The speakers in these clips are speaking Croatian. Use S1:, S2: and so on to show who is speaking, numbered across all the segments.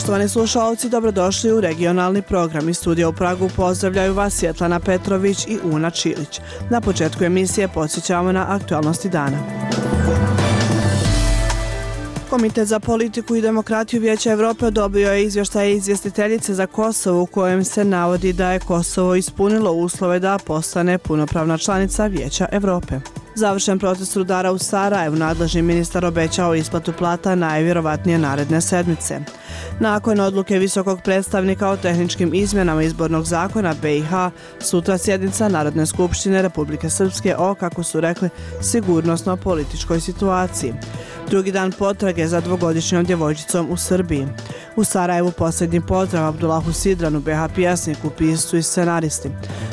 S1: Poštovani slušalci, dobrodošli u regionalni program. Iz studija u Pragu pozdravljaju vas Svjetlana Petrović i Una Čilić. Na početku emisije podsjećamo na aktualnosti dana. Komitet za politiku i demokratiju Vijeća Evrope odobrio je izvještaj izvjestiteljice za Kosovo u kojem se navodi da je Kosovo ispunilo uslove da postane punopravna članica Vijeća Evrope. Završen protest rudara u Sarajevu, nadležni ministar obećao isplatu plata najvjerovatnije naredne sedmice. Nakon odluke visokog predstavnika o tehničkim izmjenama izbornog zakona BiH, sutra sjednica Narodne skupštine Republike Srpske o, kako su rekli, sigurnosno-političkoj situaciji. Drugi dan potrage za dvogodišnjom djevojčicom u Srbiji. U Sarajevu posljednji pozdrav Abdulahu Sidranu, BiH pjesniku, piscu i scenaristi.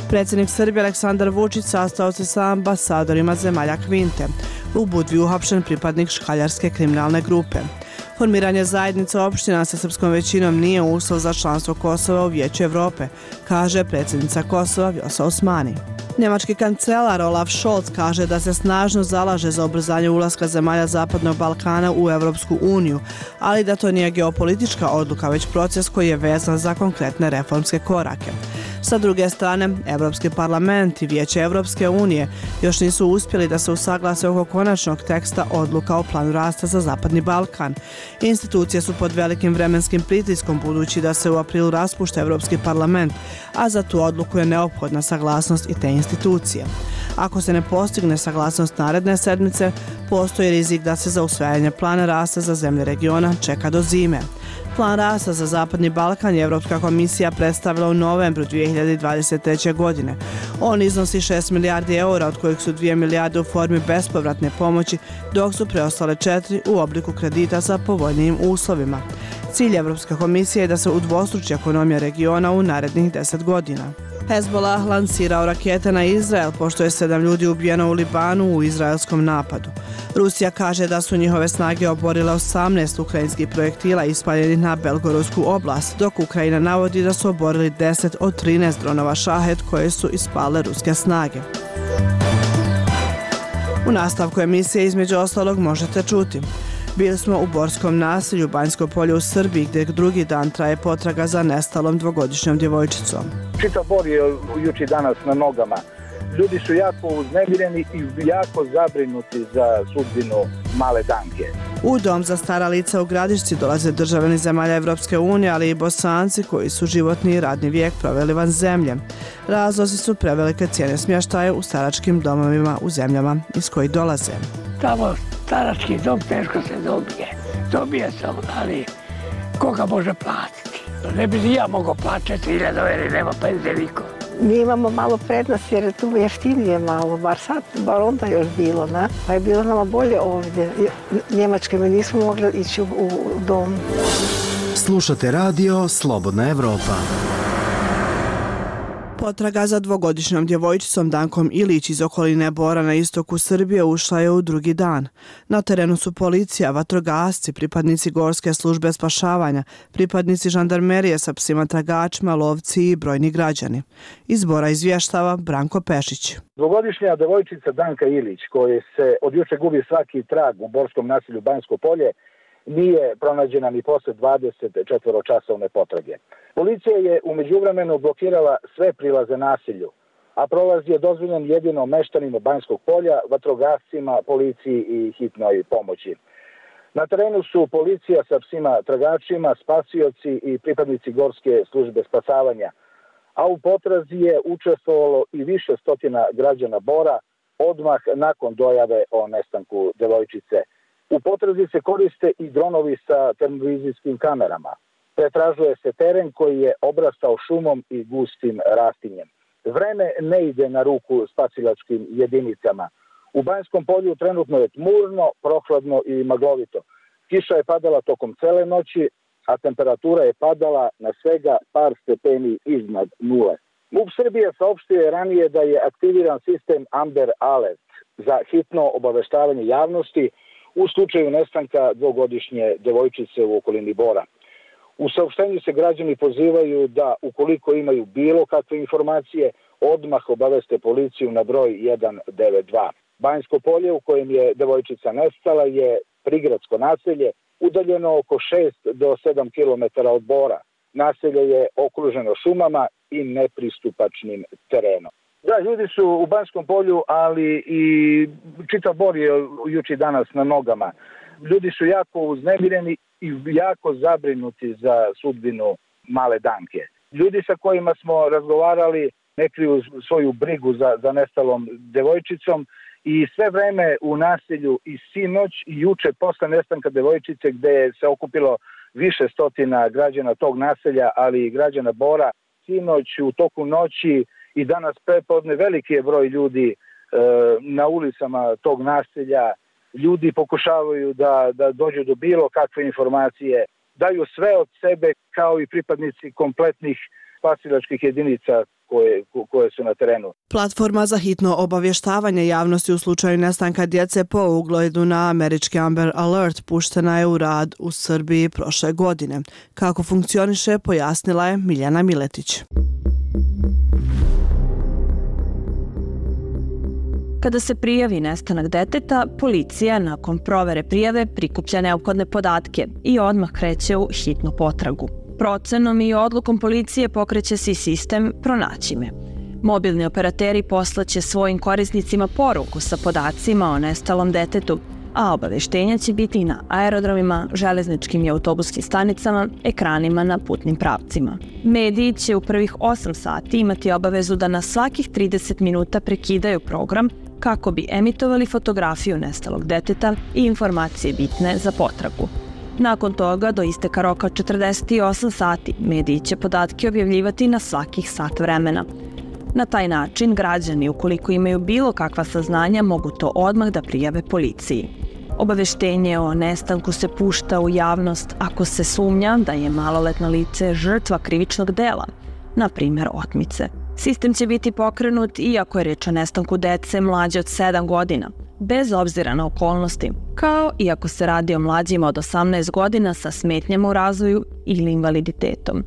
S1: Predsjednik Srbije Aleksandar Vučić sastao se sa ambasadorima zemalja Kvinte. U Budvi uhapšen pripadnik škaljarske kriminalne grupe. Formiranje zajednica opština sa srpskom većinom nije uslov za članstvo Kosova u Vijeću Evrope, kaže predsjednica Kosova Vjosa Osmani. Njemački kancelar Olaf Scholz kaže da se snažno zalaže za ubrzanje ulaska zemalja Zapadnog Balkana u Europsku uniju, ali da to nije geopolitička odluka, već proces koji je vezan za konkretne reformske korake. Sa druge strane, Europski parlament i Vijeće Europske unije još nisu uspjeli da se usaglase oko konačnog teksta odluka o planu rasta za Zapadni Balkan. Institucije su pod velikim vremenskim pritiskom budući da se u aprilu raspušta Europski parlament, a za tu odluku je neophodna saglasnost i te institucije. Ako se ne postigne saglasnost naredne sedmice, postoji rizik da se za usvajanje plana rasta za zemlje regiona čeka do zime. Plan rasta za Zapadni Balkan je Europska komisija predstavila u novembru 2023. godine. On iznosi 6 milijardi eura, od kojih su 2 milijarde u formi bespovratne pomoći, dok su preostale 4 u obliku kredita sa povoljnijim uslovima. Cilj Europske komisije je da se udvostruči ekonomija regiona u narednih 10 godina. Hezbollah lansirao rakete na Izrael, pošto je 7 ljudi ubijeno u Libanu u izraelskom napadu. Rusija kaže da su njihove snage oborile 18 ukrajinskih projektila ispaljenih na Belgorodsku oblast, dok Ukrajina navodi da su oborili 10 od 13 dronova Šahed koje su ispale ruske snage. U nastavku emisije između ostalog možete čuti. Bili smo u Borskom naselju Banjsko polje u Srbiji, gdje drugi dan traje potraga za nestalom dvogodišnjom djevojčicom.
S2: Čitav Bor je juče danas na nogama. Ljudi su jako uznemireni i jako zabrinuti za sudbinu male Danke.
S1: U dom za stara lica u Gradišci dolaze državljani zemalja Evropske unije, ali i Bosanci koji su životni i radni vijek proveli van zemlje. Razlozi su prevelike cijene smještaja u staračkim domovima u zemljama iz kojih dolaze.
S3: Tamo starački dom teško se dobije. Dobije se, ali koga može platiti? Ne bi ni ja mogao plaćati 1000 jer nema penzije niko.
S4: Mi imamo malo prednost jer je tu jeftinije malo, bar onda još bilo, ne? Pa je bilo nama bolje ovdje. Njemačke mi nismo mogli ići u dom.
S5: Slušate radio Slobodna Evropa.
S1: Potraga za dvogodišnjom djevojčicom Dankom Ilić iz okoline Bora na istoku Srbije ušla je u drugi dan. Na terenu su policija, vatrogasci, pripadnici Gorske službe spašavanja, pripadnici žandarmerije sa psima tragačima, lovci i brojni građani. Iz Bora izvještava Branko Pešić.
S2: Dvogodišnja djevojčica Danka Ilić, koja se od juče gubi svaki trag u borskom naselju Banjsko polje, nije pronađena ni posle 24-časovne potrage. Policija je u međuvremenu blokirala sve prilaze naselju, a prolaz je dozvoljen jedino meštanima Banjskog polja, vatrogascima, policiji i hitnoj pomoći. Na terenu su policija sa psima tragačima, spasioci i pripadnici Gorske službe spasavanja, a u potrazi je učestvovalo i više stotina građana Bora odmah nakon dojave o nestanku djevojčice. U potrazi se koriste i dronovi sa termovizijskim kamerama. Pretražuje se teren koji je obrastao šumom i gustim rastinjem. Vreme ne ide na ruku spasilačkim jedinicama. U Banjskom polju trenutno je tmurno, prohladno i maglovito. Kiša je padala tokom cele noći, a temperatura je padala na svega par stepeni iznad nule. MUP Srbije saopštio je ranije da je aktiviran sistem Amber Alert za hitno obaveštavanje javnosti u slučaju nestanka dvogodišnje djevojčice u okolini Bora. U saopštenju se građani pozivaju da, ukoliko imaju bilo kakve informacije, odmah obaveste policiju na broj 192. Banjsko polje u kojem je devojčica nestala je prigradsko naselje udaljeno oko 6 do 7 km od Bora. Naselje je okruženo šumama i nepristupačnim terenom. Da, ljudi su u Banskom Polju, ali i čitav Bor je juče danas na nogama. Ljudi su jako uznemireni i jako zabrinuti za sudbinu male Danke. Ljudi sa kojima smo razgovarali ne kriju svoju brigu za nestalom devojčicom i sve vreme u naselju i sinoć i juče posle nestanka devojčice gde se okupilo više stotina građana tog naselja, ali i građana Bora, sinoć u toku noći i danas prepodne veliki je broj ljudi na ulicama tog naselja. Ljudi pokušavaju da dođu do bilo kakve informacije, daju sve od sebe kao i pripadnici kompletnih spasilačkih jedinica koje su na terenu.
S1: Platforma za hitno obavještavanje javnosti u slučaju nestanka djece po ugledu na američki Amber Alert puštena je u rad u Srbiji prošle godine. Kako funkcioniše, pojasnila je Miljana Miletić.
S6: Kada se prijavi nestanak deteta, policija nakon provere prijave prikuplja neophodne podatke i odmah kreće u hitnu potragu. Procenom i odlukom policije pokreće se i sistem Pronaći me. Mobilni operateri poslaće svojim korisnicima poruku sa podacima o nestalom detetu, a obaveštenja će biti na aerodromima, železničkim i autobuskim stanicama, ekranima na putnim pravcima. Mediji će u prvih 8 sati imati obavezu da na svakih 30 minuta prekidaju program kako bi emitovali fotografiju nestalog deteta i informacije bitne za potragu. Nakon toga, do isteka roka 48 sati, mediji će podatke objavljivati na svakih sat vremena. Na taj način, građani, ukoliko imaju bilo kakva saznanja, mogu to odmah da prijave policiji. Obaveštenje o nestanku se pušta u javnost ako se sumnja da je maloletno lice žrtva krivičnog dela, na primjer otmice. Sistem će biti pokrenut i ako je reč o nestanku dece mlađe od 7 godina, bez obzira na okolnosti, kao i ako se radi o mlađima od 18 godina sa smetnjama u razvoju ili invaliditetom.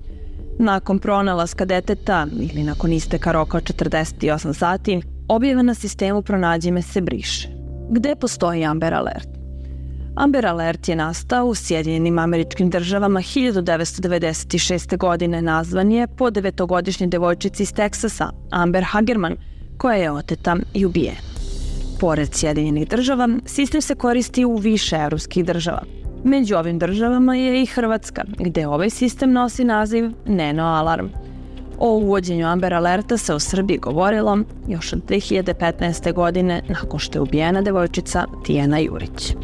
S6: Nakon pronalaska deteta ili nakon isteka roka od 48 sati, objava na sistemu Pronađi me se briše. Gde postoji Amber Alert? Amber Alert je nastao u Sjedinjenim Američkim Državama 1996. godine. Nazvan je po 9-godišnjoj devojčici iz Teksasa, Amber Hagerman, koja je oteta i ubijena. Pored Sjedinjenih Država, sistem se koristi u više evropskih država. Među ovim državama je i Hrvatska, gde ovaj sistem nosi naziv Neno Alarm. O uvođenju Amber Alerta se u Srbiji govorilo još od 2015. godine nakon što je ubijena devojčica Tijana Jurić.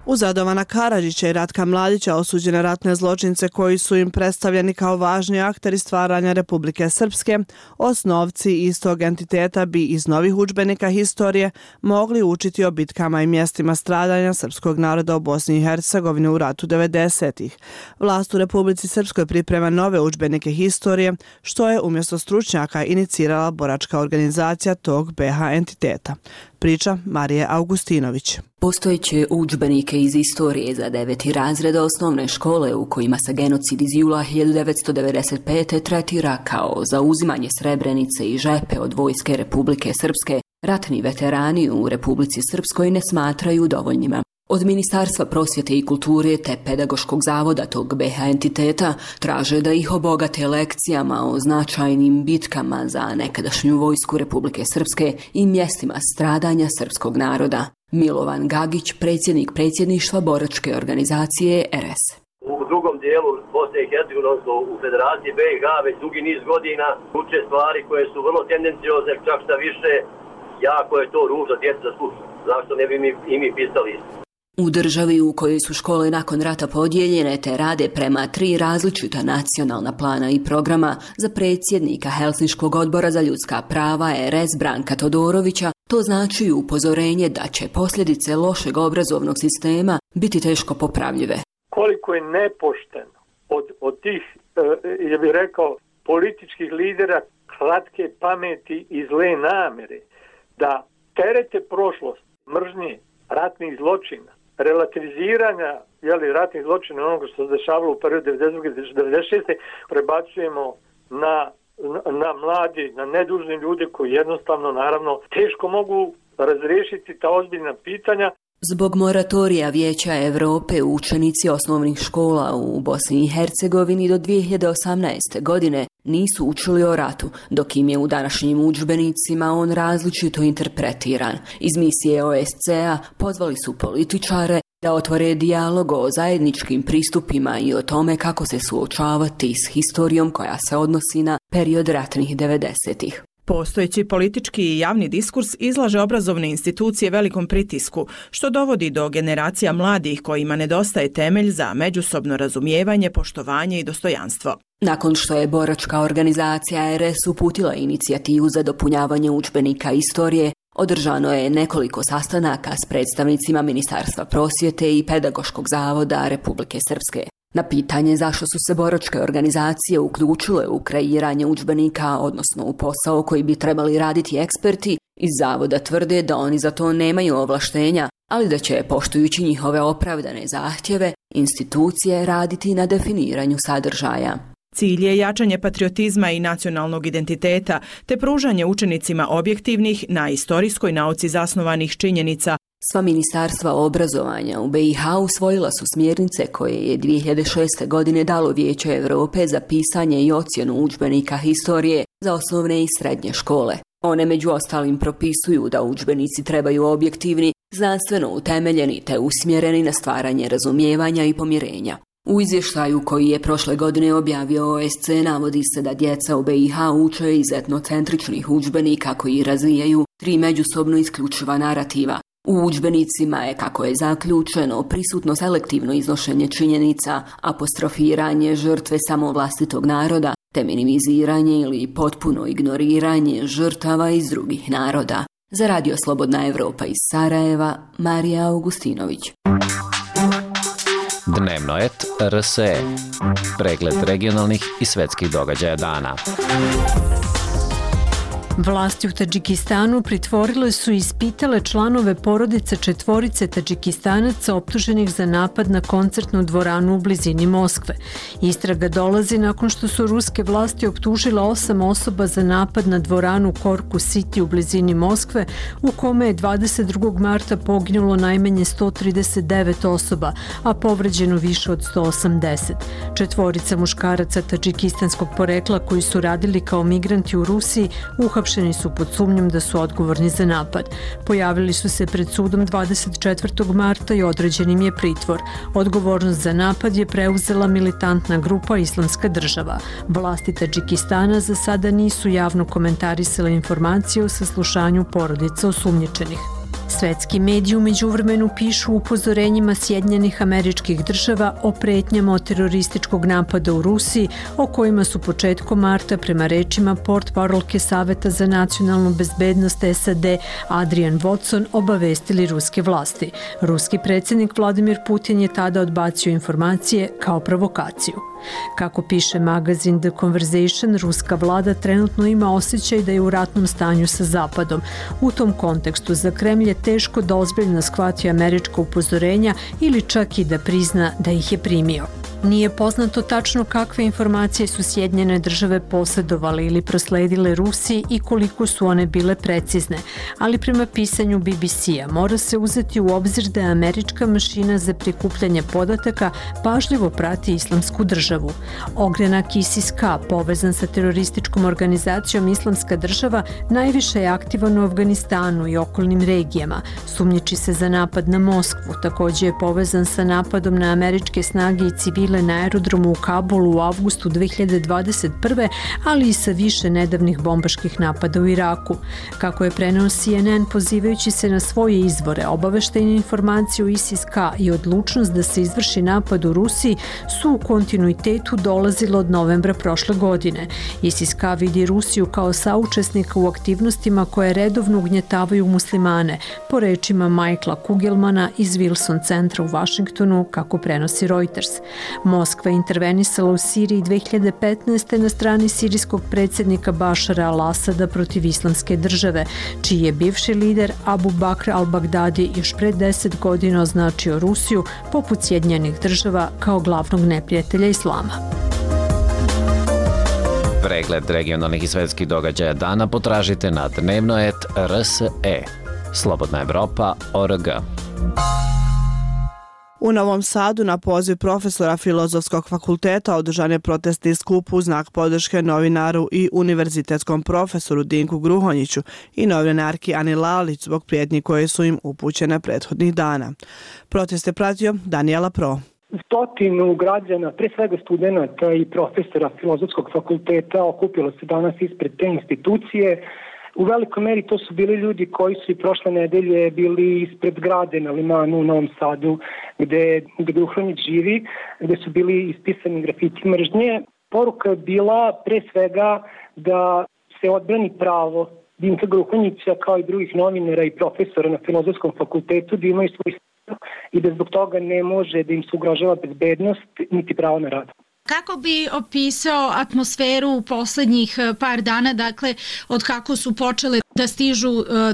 S1: Uz Radovana Karadžića i Ratka Mladića, osuđene ratne zločince koji su im predstavljeni kao važni akteri stvaranja Republike Srpske, osnovci istog entiteta bi iz novih udžbenika historije mogli učiti o bitkama i mjestima stradanja srpskog naroda u Bosni i Hercegovini u ratu 90-ih. Vlast u Republici Srpskoj priprema nove udžbenike historije, što je umjesto stručnjaka inicirala boračka organizacija tog BiH entiteta. Priča Marije Augustinović.
S7: Postojeće udžbenike iz istorije za 9. razred osnovne škole u kojima se genocid iz jula 1995. tretira kao zauzimanje Srebrenice i Žepe od vojske Republike Srpske, ratni veterani u Republici Srpskoj ne smatraju dovoljnima. Od Ministarstva prosvjete i kulture te Pedagoškog zavoda tog BiH entiteta traže da ih obogate lekcijama o značajnim bitkama za nekadašnju vojsku Republike Srpske i mjestima stradanja srpskog naroda. Milovan Gagić, predsjednik predsjedništva boračke organizacije RS.
S8: U drugom dijelu Bosne i Hercegovine, u Federaciji BiH, već dugi niz godina uče stvari koje su vrlo tendenciozne, čak šta više, jako je to ružno djeca da sluša. Zašto ne bi i mi pisali isto?
S7: U državi u kojoj su škole nakon rata podijeljene te rade prema 3 različita nacionalna plana i programa, za predsjednika Helsinškog odbora za ljudska prava RS Branka Todorovića to znači upozorenje da će posljedice lošeg obrazovnog sistema biti teško popravljive.
S9: Koliko je nepošteno od tih, ja bih rekao, političkih lidera kratke pameti i zle namjere da terete prošlost, mržnje, ratnih zločina, relativiziranja ratnih zločina onoga što se dešavalo u periodu 1992-1996. prebacujemo na na mladi, na nedužni ljude koji jednostavno, naravno, teško mogu razriješiti ta ozbiljna pitanja.
S7: Zbog moratorija Vijeća Europe učenici osnovnih škola u Bosni i Hercegovini do 2018. godine nisu učili o ratu, dok im je u današnjim udžbenicima on različito interpretiran. Iz misije OSCE-a pozvali su političare da otvore dijalog o zajedničkim pristupima i o tome kako se suočavati s historijom koja se odnosi na period ratnih 90-ih.
S10: Postojeći politički i javni diskurs izlaže obrazovne institucije velikom pritisku, što dovodi do generacija mladih kojima nedostaje temelj za međusobno razumijevanje, poštovanje i dostojanstvo.
S7: Nakon što je boračka organizacija RS uputila inicijativu za dopunjavanje udžbenika istorije, održano je nekoliko sastanaka s predstavnicima Ministarstva prosvjete i Pedagoškog zavoda Republike Srpske. Na pitanje zašto su se boračke organizacije uključile u kreiranje udžbenika, odnosno u posao koji bi trebali raditi eksperti, iz zavoda tvrde da oni za to nemaju ovlaštenja, ali da će, poštujući njihove opravdane zahtjeve, institucije raditi na definiranju sadržaja.
S10: Cilj je jačanje patriotizma i nacionalnog identiteta, te pružanje učenicima objektivnih, na istorijskoj nauci zasnovanih činjenica.
S7: Sva ministarstva obrazovanja u BiH usvojila su smjernice koje je 2006. godine dalo Vijeće Europe za pisanje i ocjenu udžbenika historije za osnovne i srednje škole. One među ostalim propisuju da udžbenici trebaju objektivni, znanstveno utemeljeni te usmjereni na stvaranje razumijevanja i pomirenja. U izvještaju koji je prošle godine objavio OSCE navodi se da djeca u BiH uče iz etnocentričnih udžbenika koji razvijaju 3 međusobno isključiva narativa. U udžbenicima je, kako je zaključeno, prisutno selektivno iznošenje činjenica, apostrofiranje žrtve samo vlastitog naroda, te minimiziranje ili potpuno ignoriranje žrtava iz drugih naroda. Za Radio Slobodna Evropa iz Sarajeva, Marija Augustinović.
S11: Dnevno et RSE. Pregled regionalnih i svjetskih događaja dana.
S12: Vlasti u Tadžikistanu pritvorile su i ispitale članove porodice 4 Tadžikistanaca optuženih za napad na koncertnu dvoranu u blizini Moskve. Istraga dolazi nakon što su ruske vlasti optužile 8 osoba za napad na dvoranu Korku City u blizini Moskve, u kome je 22. marta poginulo najmanje 139 osoba, a povređeno više od 180. 4 muškaraca tadžikistanskog porekla koji su radili kao migranti u Rusiji uhapšeni su pod sumnjom da su odgovorni za napad. Pojavili su se pred sudom 24. marta i određen im je pritvor. Odgovornost za napad je preuzela militantna grupa Islamska država. Vlasti Tadžikistana za sada nisu javno komentarisale informacije o saslušanju porodica osumnjičenih. Svetski mediji u međuvremenu pišu upozorenjima Sjedinjenih Američkih Država o pretnjama od terorističkog napada u Rusiji, o kojima su početkom marta, prema rečima portparolke Saveta za nacionalnu bezbednost SAD Adrian Watson, obavestili ruske vlasti. Ruski predsjednik Vladimir Putin je tada odbacio informacije kao provokaciju. Kako piše magazin The Conversation, ruska vlada trenutno ima osjećaj da je u ratnom stanju sa Zapadom. U tom kontekstu za Kremlj je teško da ozbiljno shvati američka upozorenja ili čak i da prizna da ih je primio. Nije poznato tačno kakve informacije su Sjedinjene države posjedovale ili prosledile Rusiji i koliko su one bile precizne, ali prema pisanju BBC-a mora se uzeti u obzir da je američka mašina za prikupljanje podataka pažljivo prati Islamsku državu. Ogranak ISIS-K, povezan sa terorističkom organizacijom Islamska država, najviše je aktivan u Afganistanu i okolnim regijama. Sumnjiči se za napad na Moskvu, također je povezan sa napadom na američke snage i civile na aerodromu u Kabulu u avgustu 2021. ali i sa više nedavnih bombaških napada u Iraku. Kako je preneo CNN pozivajući se na svoje izvore, obaveštajne informacije o ISIS-K i odlučnost da se izvrši napad u Rusiji su u kontinuitetu dolazile od novembra prošle godine. ISIS-K vidi Rusiju kao saučesnika u aktivnostima koje redovno ugnjetavaju muslimane, po rečima Michaela Kugelmana iz Wilson centra u Vašingtonu, kako prenosi Reuters. Moskva je intervenisala u Siriji 2015. na strani sirijskog predsjednika Bašara al-Asada protiv Islamske države, čiji je bivši lider Abu Bakr al-Baghdadi još pred 10 godina označio Rusiju, poput Sjedinjenih država, kao glavnog neprijatelja islama.
S11: Pregled regionalnih i svetskih događaja dana potražite na dnevnoet.rse. slobodnaevropa.org.
S1: U Novom Sadu na poziv profesora Filozofskog fakulteta održan je protestni skup u znak podrške novinaru i univerzitetskom profesoru Dinku Gruhonjiću i novinarki Ani Lalić zbog prijetnji koje su im upućene prethodnih dana. Protest je pratio Danijela Pro.
S13: Stotinu građana, pre svega studenta i profesora Filozofskog fakulteta okupilo se danas ispred te institucije. U velikoj meri to su bili ljudi koji su i prošle nedelje bili ispred zgrade na Limanu u Novom Sadu gde Gruhonjić živi, gde su bili ispisani grafiti mržnje. Poruka je bila pre svega da se odbrani pravo Dinka Gruhonjića kao i drugih novinara i profesora na Filozofskom fakultetu da imaju svoj i da zbog toga ne može da im se ugrožava bezbednost niti pravo na rad.
S14: Kako bi opisao atmosferu u poslednjih par dana, dakle, od kako su počele da stižu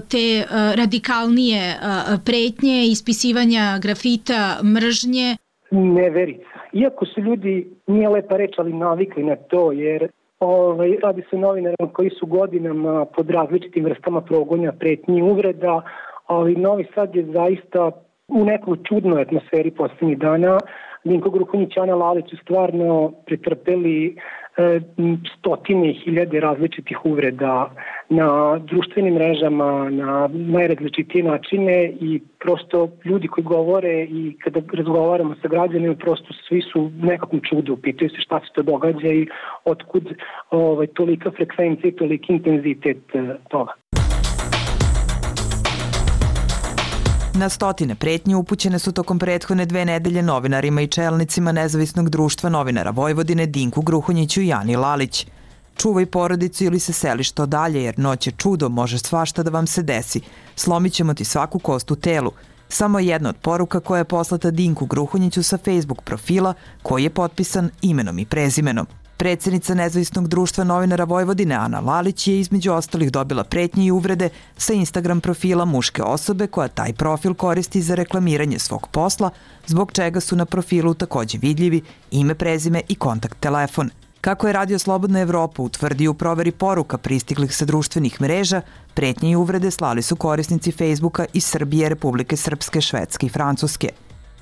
S14: te radikalnije pretnje, ispisivanja grafita, mržnje?
S13: Neverica. Iako su ljudi, nije lepa reč, ali navikli na to, jer radi se o novinarima koji su godinama pod različitim vrstama progona, pretnji, uvreda, ali Novi Sad je zaista u nekoj čudnoj atmosferi poslednjih dana. Dinko Gruhonjić i Ana Lalić su stvarno pretrpeli stotine i hiljade različitih uvreda na društvenim mrežama, na najrazličitije načine i prosto ljudi koji govore i kada razgovaramo sa građanima, prosto svi su nekakvom čudu, pitaju se šta se to događa i otkud tolika frekvencija i toliki intenzitet toga.
S15: Na stotine pretnje upućene su tokom prethodne 2 nedelje novinarima i čelnicima Nezavisnog društva novinara Vojvodine Dinku Gruhonjiću i Ani Lalić. Čuvaj porodicu ili se seli što dalje, jer noć je čudo, može svašta da vam se desi. Slomit ćemo ti svaku kost u telu. Samo jedna od poruka koja je poslata Dinku Gruhonjiću sa Facebook profila koji je potpisan imenom i prezimenom. Predsjednica Nezavisnog društva novinara Vojvodine Ana Lalić je između ostalih dobila pretnje i uvrede sa Instagram profila muške osobe koja taj profil koristi za reklamiranje svog posla, zbog čega su na profilu takođe vidljivi ime, prezime i kontakt telefon. Kako je Radio Slobodna Evropa utvrdio u proveri poruka pristiglih sa društvenih mreža, pretnje i uvrede slali su korisnici Facebooka iz Srbije, Republike Srpske, Švedske i Francuske.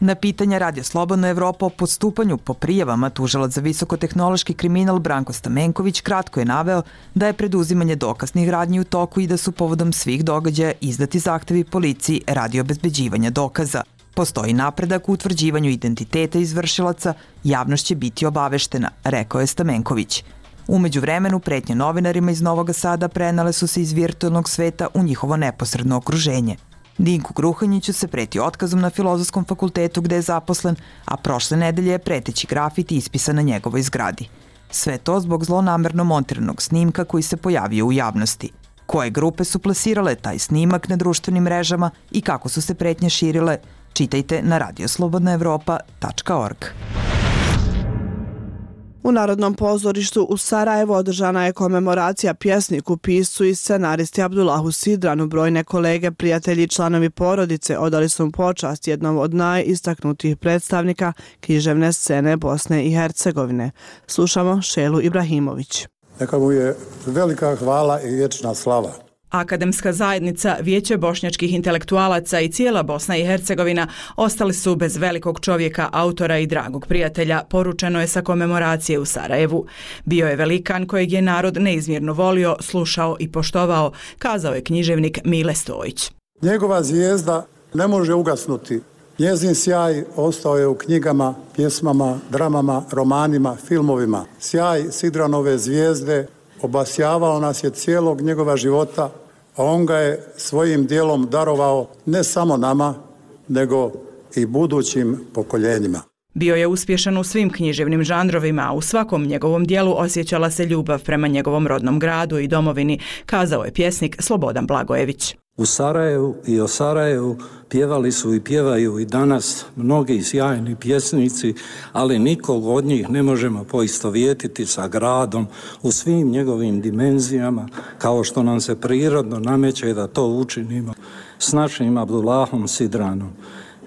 S15: Na pitanja Radio Slobodna Evropa o postupanju po prijavama tužilac za visokotehnološki kriminal Branko Stamenković kratko je naveo da je preduzimanje dokaznih radnji u toku i da su povodom svih događaja izdati zahtevi policiji radi obezbeđivanja dokaza. Postoji napredak u utvrđivanju identiteta izvršilaca, javnost će biti obaveštena, rekao je Stamenković. Umeđu vremenu pretnje novinarima iz Novog Sada prenale su se iz virtualnog sveta u njihovo neposredno okruženje. Dinku Gruhonjiću se preti otkazom na Filozofskom fakultetu gde je zaposlen, a prošle nedelje je preteći grafiti ispisan na njegovoj zgradi. Sve to zbog zlonamerno montiranog snimka koji se pojavio u javnosti. Koje grupe su plasirale taj snimak na društvenim mrežama i kako su se pretnje širile, čitajte na radioslobodnaevropa.org.
S1: U Narodnom pozorištu u Sarajevu održana je komemoracija pjesniku, piscu i scenaristi Abdullahu Sidranu. Brojne kolege, prijatelji i članovi porodice odali su mu počast jednom od najistaknutijih predstavnika književne scene Bosne i Hercegovine. Slušamo Šelu Ibrahimović.
S16: Neka mu je velika hvala i vječna slava.
S10: Akademska zajednica, Vijeće bošnjačkih intelektualaca i cijela Bosna i Hercegovina ostali su bez velikog čovjeka, autora i dragog prijatelja, poručeno je sa komemoracije u Sarajevu. Bio je velikan kojeg je narod neizmjerno volio, slušao i poštovao, kazao je književnik Mile Stojić.
S16: Njegova zvijezda ne može ugasnuti. Njezin sjaj ostao je u knjigama, pjesmama, dramama, romanima, filmovima. Sjaj Sidranove zvijezde obasjavao nas je cijelog njegova života, a on ga je svojim dijelom darovao ne samo nama, nego i budućim pokoljenjima.
S10: Bio je uspješan u svim književnim žanrovima, a u svakom njegovom dijelu osjećala se ljubav prema njegovom rodnom gradu i domovini, kazao je pjesnik Slobodan Blagojević.
S17: U Sarajevu i o Sarajevu pjevali su i pjevaju i danas mnogi sjajni pjesnici, ali nikog od njih ne možemo poistovjetiti sa gradom u svim njegovim dimenzijama, kao što nam se prirodno nameće da to učinimo s našim Abdullahom Sidranom.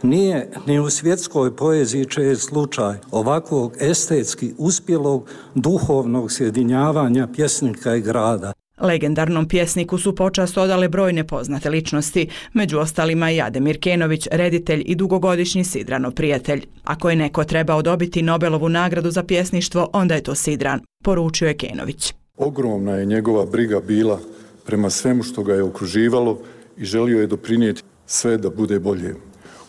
S17: Nije ni u svjetskoj poeziji čest slučaj ovakvog estetski uspjelog duhovnog sjedinjavanja pjesnika i grada.
S10: Legendarnom pjesniku su počast odale brojne poznate ličnosti, među ostalima i Ademir Kenović, reditelj i dugogodišnji Sidranov prijatelj. Ako je neko trebao dobiti Nobelovu nagradu za pjesništvo, onda je to Sidran, poručio je Kenović.
S18: Ogromna je njegova briga bila prema svemu što ga je okruživalo i želio je doprinijeti sve da bude bolje.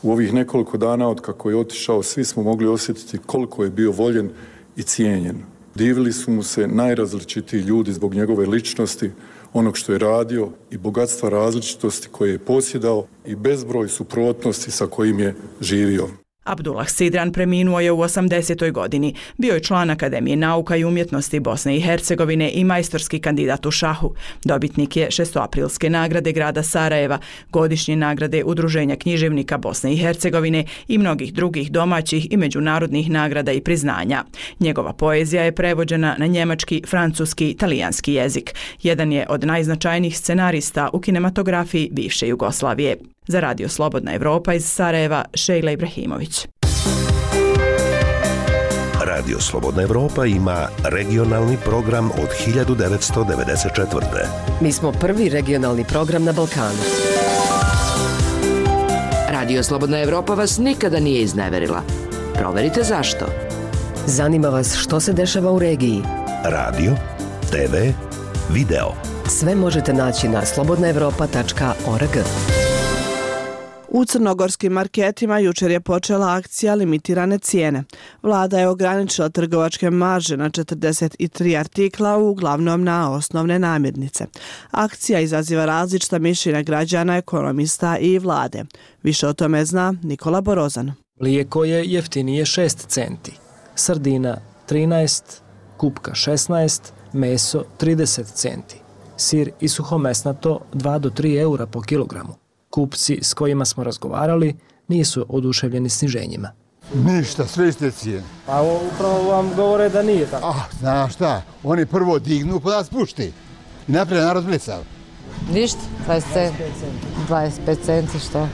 S18: U ovih nekoliko dana od kako je otišao, svi smo mogli osjetiti koliko je bio voljen i cijenjen. Divili su mu se najrazličitiji ljudi zbog njegove ličnosti, onog što je radio i bogatstva različitosti koje je posjedao i bezbroj suprotnosti sa kojim je živio.
S10: Abdullah Sidran preminuo je u 80. godini. Bio je član Akademije nauka i umjetnosti Bosne i Hercegovine i majstorski kandidat u šahu. Dobitnik je šestoaprilske nagrade grada Sarajeva, godišnje nagrade Udruženja književnika Bosne i Hercegovine i mnogih drugih domaćih i međunarodnih nagrada i priznanja. Njegova poezija je prevođena na njemački, francuski, talijanski jezik. Jedan je od najznačajnijih scenarista u kinematografiji bivše Jugoslavije. Za Radio Slobodna Evropa iz Sarajeva, Šejla Ibrahimović.
S19: Radio Slobodna Evropa ima regionalni program od 1994.
S20: Mi smo prvi regionalni program na Balkanu. Radio Slobodna Evropa vas nikada nije izneverila. Proverite zašto. Zanima vas što se dešava u regiji.
S19: Radio, TV, video.
S20: Sve možete naći na slobodnaevropa.org.
S1: U crnogorskim marketima jučer je počela akcija limitirane cijene. Vlada je ograničila trgovačke marže na 43 artikla, uglavnom na osnovne namirnice. Akcija izaziva različita mišljenja građana, ekonomista i vlade. Više o tome zna Nikola Borozan.
S21: Mlijeko je jeftinije 6 centi, sardina 13, kupka 16, meso 30 centi, sir i suhomesnato 2 do 3 eura po kilogramu. Kupci s kojima smo razgovarali nisu oduševljeni sniženjima.
S22: Ništa, sve iste cijene.
S21: Pa upravo vam govore da nije tako.
S22: Znaš šta, oni prvo dignu pa da spušti. I naprijed narod blicav.
S23: Ništa, 25 centi što.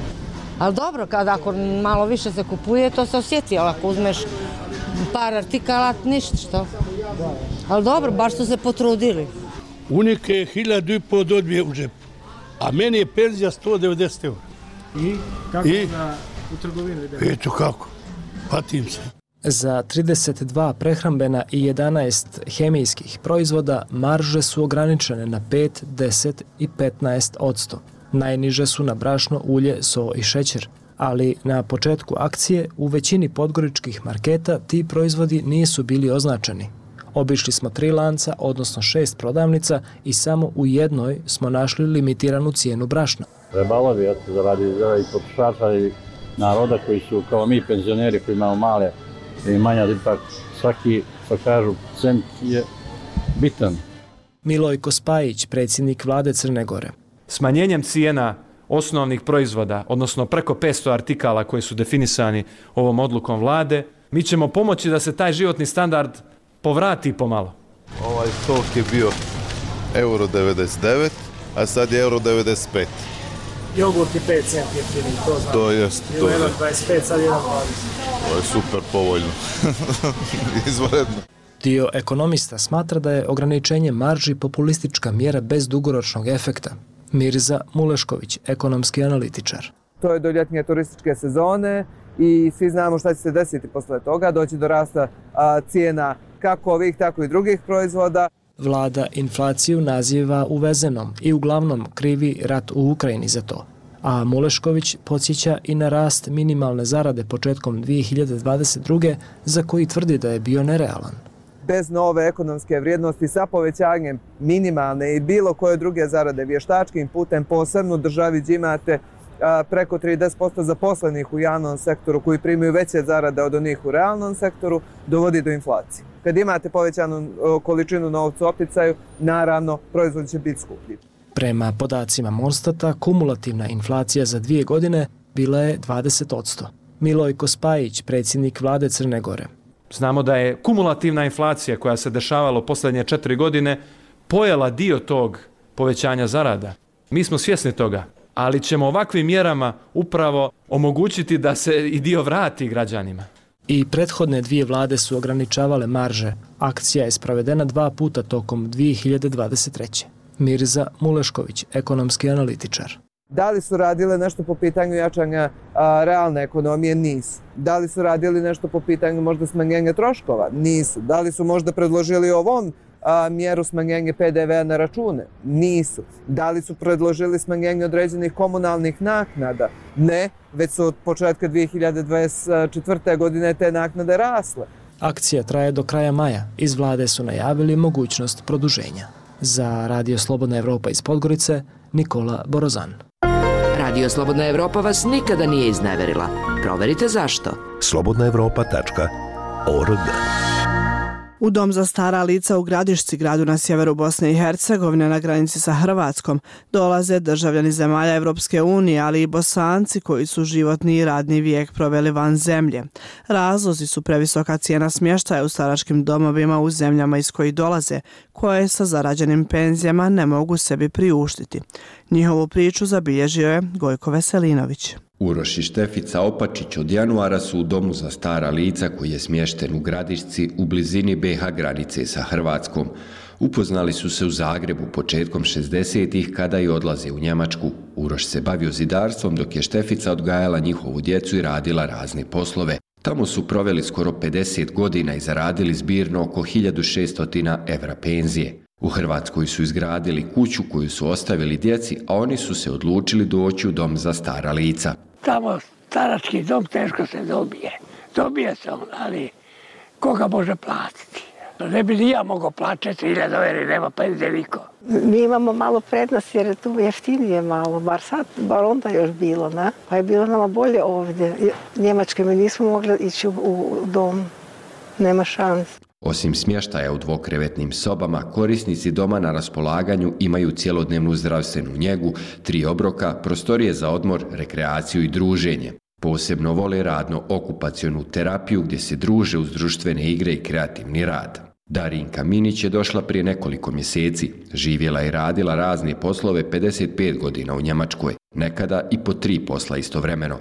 S23: Ali dobro, ako malo više se kupuje, to se osjeti, ali ako uzmeš par artikala, ništa što. Ali dobro, baš su se potrudili.
S24: Unike je 1.500 dobije u džepu, a meni je penzija 190 eura.
S21: I kako da u trgovini?
S24: Eto kako, patim se.
S21: Za 32 prehrambena i 11 hemijskih proizvoda marže su ograničene na 5, 10 i 15%. Najniže su na brašno, ulje, so i šećer. Ali na početku akcije u većini podgoričkih marketa ti proizvodi nisu bili označeni. Obišli smo 3 lanca, odnosno 6 prodavnica i samo u jednoj smo našli limitiranu cijenu brašna.
S25: Trebalo bi zaradi i potrošača i naroda koji su kao mi penzioneri koji imamo male imanja, ipak svaki, što kažu, cent je bitan.
S21: Milojko Spajić, predsjednik vlade Crne Gore.
S26: Smanjenjem cijena osnovnih proizvoda, odnosno preko 500 artikala koji su definisani ovom odlukom vlade, mi ćemo pomoći da se taj životni standard povrati pomalo.
S27: Ovaj sok je bio €1,99, a sad je €1,95.
S21: Jogurt je 5 centi jeftiniji, to znam.
S27: To jest.
S21: Bilo 1,25, sad 1,20.
S27: Ovo je super povoljno. Izvanredno.
S21: Dio ekonomista smatra da je ograničenje marži populistička mjera bez dugoročnog efekta. Mirza Mulešković, ekonomski analitičar.
S28: To je do ljetnje turističke sezone i svi znamo šta će se desiti posle toga. Doći do rasta cijena kako ovih, tako i drugih proizvoda.
S21: Vlada inflaciju naziva uvezenom i uglavnom krivi rat u Ukrajini za to. A Mulešković podsjeća i na rast minimalne zarade početkom 2022. za koji tvrdi da je bio nerealan.
S28: Bez nove ekonomske vrijednosti sa povećanjem minimalne i bilo koje druge zarade vještačkim putem posebno u državi gdje imate preko 30% zaposlenih u javnom sektoru koji primaju veće zarade od onih u realnom sektoru, dovodi do inflacije. Kad imate povećanu količinu novca u opticaju, naravno proizvod će biti skuplji.
S21: Prema podacima Monstata, kumulativna inflacija za 2 godine bila je 20%. Milojko Spajić, predsjednik vlade Crne Gore.
S26: Znamo da je kumulativna inflacija koja se dešavala u posljednje 4 godine pojela dio tog povećanja zarada. Mi smo svjesni toga, ali ćemo ovakvim mjerama upravo omogućiti da se i dio vrati građanima.
S21: I prethodne dvije vlade su ograničavale marže. Akcija je sprovedena 2 puta tokom 2023. Mirza Mulešković, ekonomski analitičar.
S28: Da li su radile nešto po pitanju jačanja realne ekonomije? Nisu. Da li su radili nešto po pitanju možda smanjenja troškova? Nisu. Da li su možda predložili ovom mjeru smanjenje PDV na račune? Nisu. Da li su predložili smanjenje određenih komunalnih naknada? Ne, već su od početka 2024. godine te naknade rasle.
S21: Akcija traje do kraja maja. Iz vlade su najavili mogućnost produženja. Za Radio Slobodna Evropa iz Podgorice, Nikola Borozan.
S20: Radio Slobodna Evropa vas nikada nije izneverila. Proverite zašto.
S19: slobodnaevropa.org.
S1: U dom za stara lica u Gradišci, gradu na sjeveru Bosne i Hercegovine na granici sa Hrvatskom, dolaze državljani zemalja Evropske unije, ali i Bosanci koji su životni i radni vijek proveli van zemlje. Razlozi su previsoka cijena smještaja u staračkim domovima u zemljama iz kojih dolaze, koje sa zarađenim penzijama ne mogu sebi priuštiti. Njihovu priču zabilježio je Gojko Veselinović.
S2: Uroš i Štefica Opačić od januara su u domu za stara lica koji je smješten u Gradišci u blizini BiH granice sa Hrvatskom. Upoznali su se u Zagrebu početkom 60-ih kada je odlaze u Njemačku. Uroš se bavio zidarstvom dok je Štefica odgajala njihovu djecu i radila razne poslove. Tamo su proveli skoro 50 godina i zaradili zbirno oko 1600 evra penzije. U Hrvatskoj su izgradili kuću koju su ostavili djeci, a oni su se odlučili doći u dom za stara lica.
S3: Tamo starački dom teško se dobije. Dobije se on, ali koga može platiti? Ne bi ni ja mogao plaćati 1000 evra, nema penzije niko.
S4: Mi imamo malo prednost jer je tu jeftinije malo, bar onda još bilo, ne? Pa je bilo nama bolje ovdje. Njemačke mi nismo mogli ići u dom, nema šanse.
S2: Osim smještaja u dvokrevetnim sobama, korisnici doma na raspolaganju imaju cjelodnevnu zdravstvenu njegu, 3 obroka, prostorije za odmor, rekreaciju i druženje. Posebno vole radno-okupacionu terapiju gdje se druže uz društvene igre i kreativni rad. Darinka Minić je došla prije nekoliko mjeseci. Živjela i radila razne poslove 55 godina u Njemačkoj, nekada i po 3 posla istovremeno.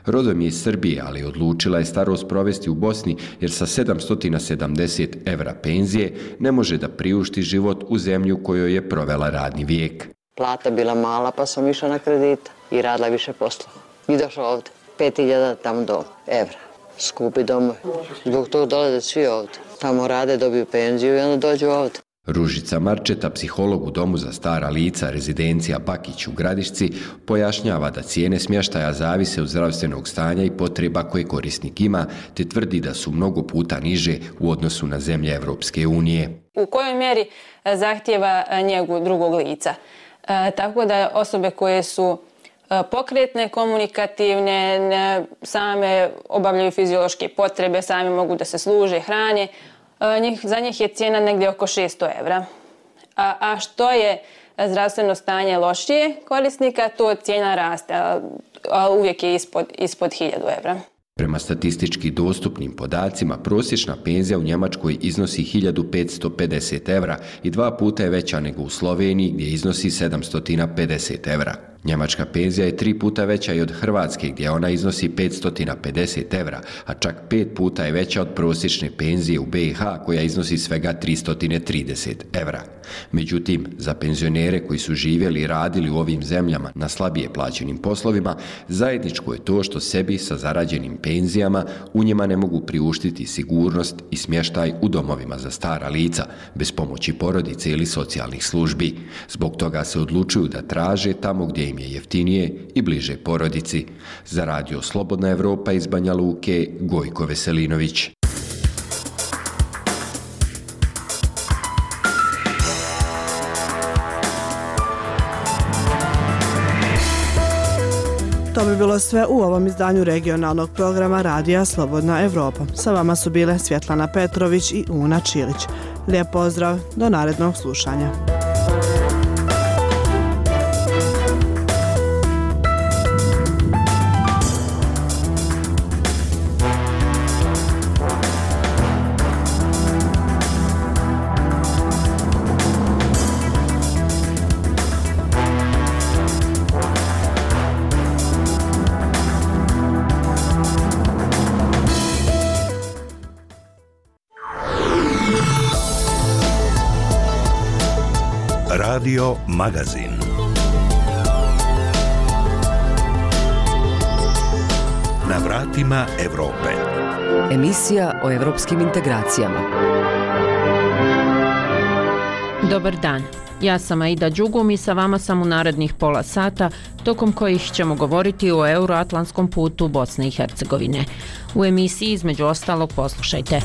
S2: Rodom je iz Srbije, ali odlučila je starost provesti u Bosni jer sa 770 evra penzije ne može da priušti život u zemlji u kojoj je provela radni vijek.
S5: Plata bila mala pa sam išla na kredita i radila više poslova. I došla ovdje, 5000 tamo do evra. Skupi domovi. Zbog toga dolaze svi ovdje. Tamo rade, dobiju penziju i onda dođu ovdje.
S2: Ružica Marčeta, psiholog u domu za stara lica, rezidencija Bakić u Gradišci, pojašnjava da cijene smještaja zavise od zdravstvenog stanja i potreba koje korisnik ima, te tvrdi da su mnogo puta niže u odnosu na zemlje Evropske unije.
S6: U kojoj mjeri zahtjeva njegu drugog lica? Tako da osobe koje su pokretne, komunikativne, same obavljaju fiziološke potrebe, same mogu da se služe, hrane, za njih je cijena negdje oko 600 evra. A što je zdravstveno stanje lošije korisnika, to cijena raste, a uvijek je ispod 1000 evra.
S2: Prema statistički dostupnim podacima, prosječna penzija u Njemačkoj iznosi 1550 evra i 2 puta je veća nego u Sloveniji gdje iznosi 750 evra. Njemačka penzija je 3 puta veća i od Hrvatske gdje ona iznosi 550 evra, a čak 5 puta je veća od prosječne penzije u BiH koja iznosi svega 330 evra. Međutim, za penzionere koji su živjeli i radili u ovim zemljama na slabije plaćenim poslovima, zajedničko je to što sebi sa zarađenim penzijama u njima ne mogu priuštiti sigurnost i smještaj u domovima za stara lica, bez pomoći porodice ili socijalnih službi. Zbog toga se odlučuju da traže tamo gdje im je jeftinije i bliže porodici. Za Radio Slobodna Evropa iz Banja Luke, Gojko Veselinović.
S1: To bi bilo sve u ovom izdanju regionalnog programa Radija Slobodna Evropa. Sa vama su bile Svjetlana Petrović i Una Čilić. Lijep pozdrav, do narednog slušanja.
S19: Radio Magazin. Na vratima Evrope.
S20: Emisija o evropskim integracijama.
S7: Dobar dan. Ja sam Aida Đugum i sa vama sam u narednih pola sata, tokom kojih ćemo govoriti o euroatlantskom putu Bosne i Hercegovine. U emisiji između ostalog poslušajte.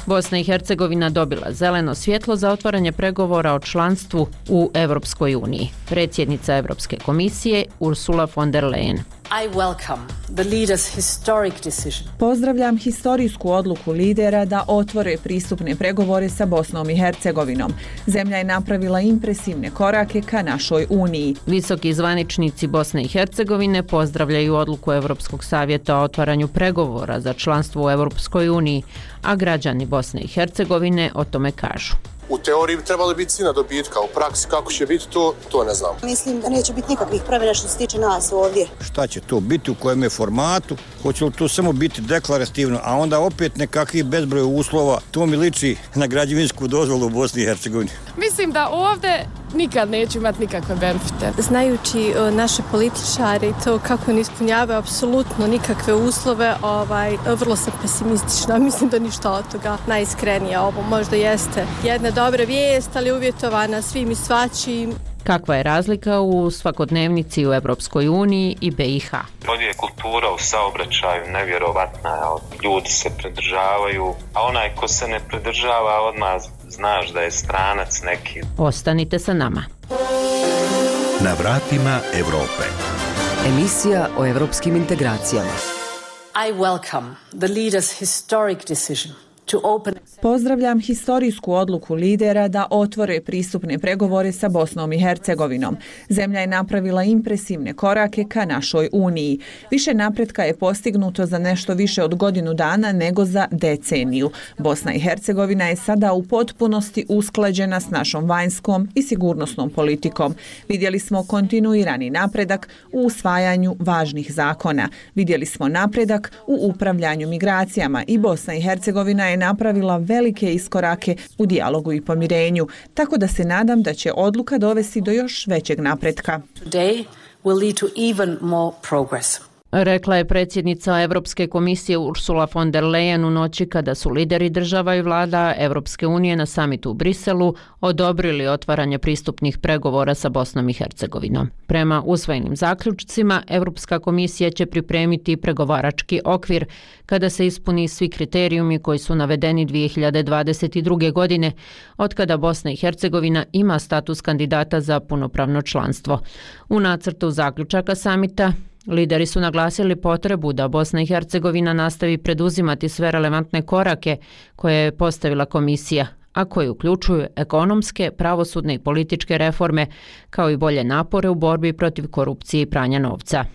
S7: Bosna i Hercegovina dobila zeleno svjetlo za otvaranje pregovora o članstvu u Evropskoj uniji. Predsjednica Evropske komisije Ursula von der Leyen.
S8: I welcome the leaders' historic decision.
S10: Pozdravljam historijsku odluku lidera da otvore pristupne pregovore sa Bosnom i Hercegovinom. Zemlja je napravila impresivne korake ka našoj uniji.
S7: Visoki zvaničnici Bosne i Hercegovine pozdravljaju odluku Evropskog savjeta o otvaranju pregovora za članstvo u Evropskoj uniji, a građani Bosne i Hercegovine o tome kažu.
S9: U teoriji bi trebali biti svi na dobitka, u praksi kako će biti to ne znam.
S11: Mislim da neće biti nikakvih promjena što se tiče nas ovdje.
S12: Šta će to biti, u kojem je formatu, hoće li to samo biti deklarativno, a onda opet nekakvih bezbroj uslova, to mi liči na građevinsku dozvolu u Bosni i Hercegovini.
S13: Mislim da ovdje nikad neću imati nikakve benefite.
S14: Znajući naše političare i to kako ne ispunjavaju apsolutno nikakve uslove, vrlo sam pesimistična. Mislim da ništa od toga najiskrenije. Ovo možda jeste jedna dobra vijest, ali uvjetovana svim i svačim.
S7: Kakva je razlika u svakodnevnici u Evropskoj uniji i BiH?
S15: Ovdje je kultura u saobraćaju nevjerovatna, ljudi se pridržavaju, a onaj ko se ne pridržava odmah znaš da je stranac neki.
S7: Ostanite sa nama.
S19: Na vratima Evrope.
S20: Emisija o evropskim integracijama.
S8: I welcome the leaders' historic decision to open.
S10: Pozdravljam historijsku odluku lidera da otvore pristupne pregovore sa Bosnom i Hercegovinom. Zemlja je napravila impresivne korake ka našoj uniji. Više napretka je postignuto za nešto više od godinu dana nego za deceniju. Bosna i Hercegovina je sada u potpunosti usklađena s našom vanjskom i sigurnosnom politikom. Vidjeli smo kontinuirani napredak u usvajanju važnih zakona. Vidjeli smo napredak u upravljanju migracijama i Bosna i Hercegovina je napravila velike iskorake u dijalogu i pomirenju, tako da se nadam da će odluka dovesti do još većeg napretka.
S8: Today will lead to even more progress.
S7: Rekla je predsjednica Evropske komisije Ursula von der Leyen u noći kada su lideri država i vlada Evropske unije na samitu u Briselu odobrili otvaranje pristupnih pregovora sa Bosnom i Hercegovinom. Prema usvojenim zaključcima, Evropska komisija će pripremiti pregovarački okvir kada se ispuni svi kriterijumi koji su navedeni 2022. godine, otkada Bosna i Hercegovina ima status kandidata za punopravno članstvo. U nacrtu zaključaka samita lideri su naglasili potrebu da Bosna i Hercegovina nastavi preduzimati sve relevantne korake koje je postavila komisija, a koje uključuju ekonomske, pravosudne i političke reforme, kao i bolje napore u borbi protiv korupcije i pranja novca.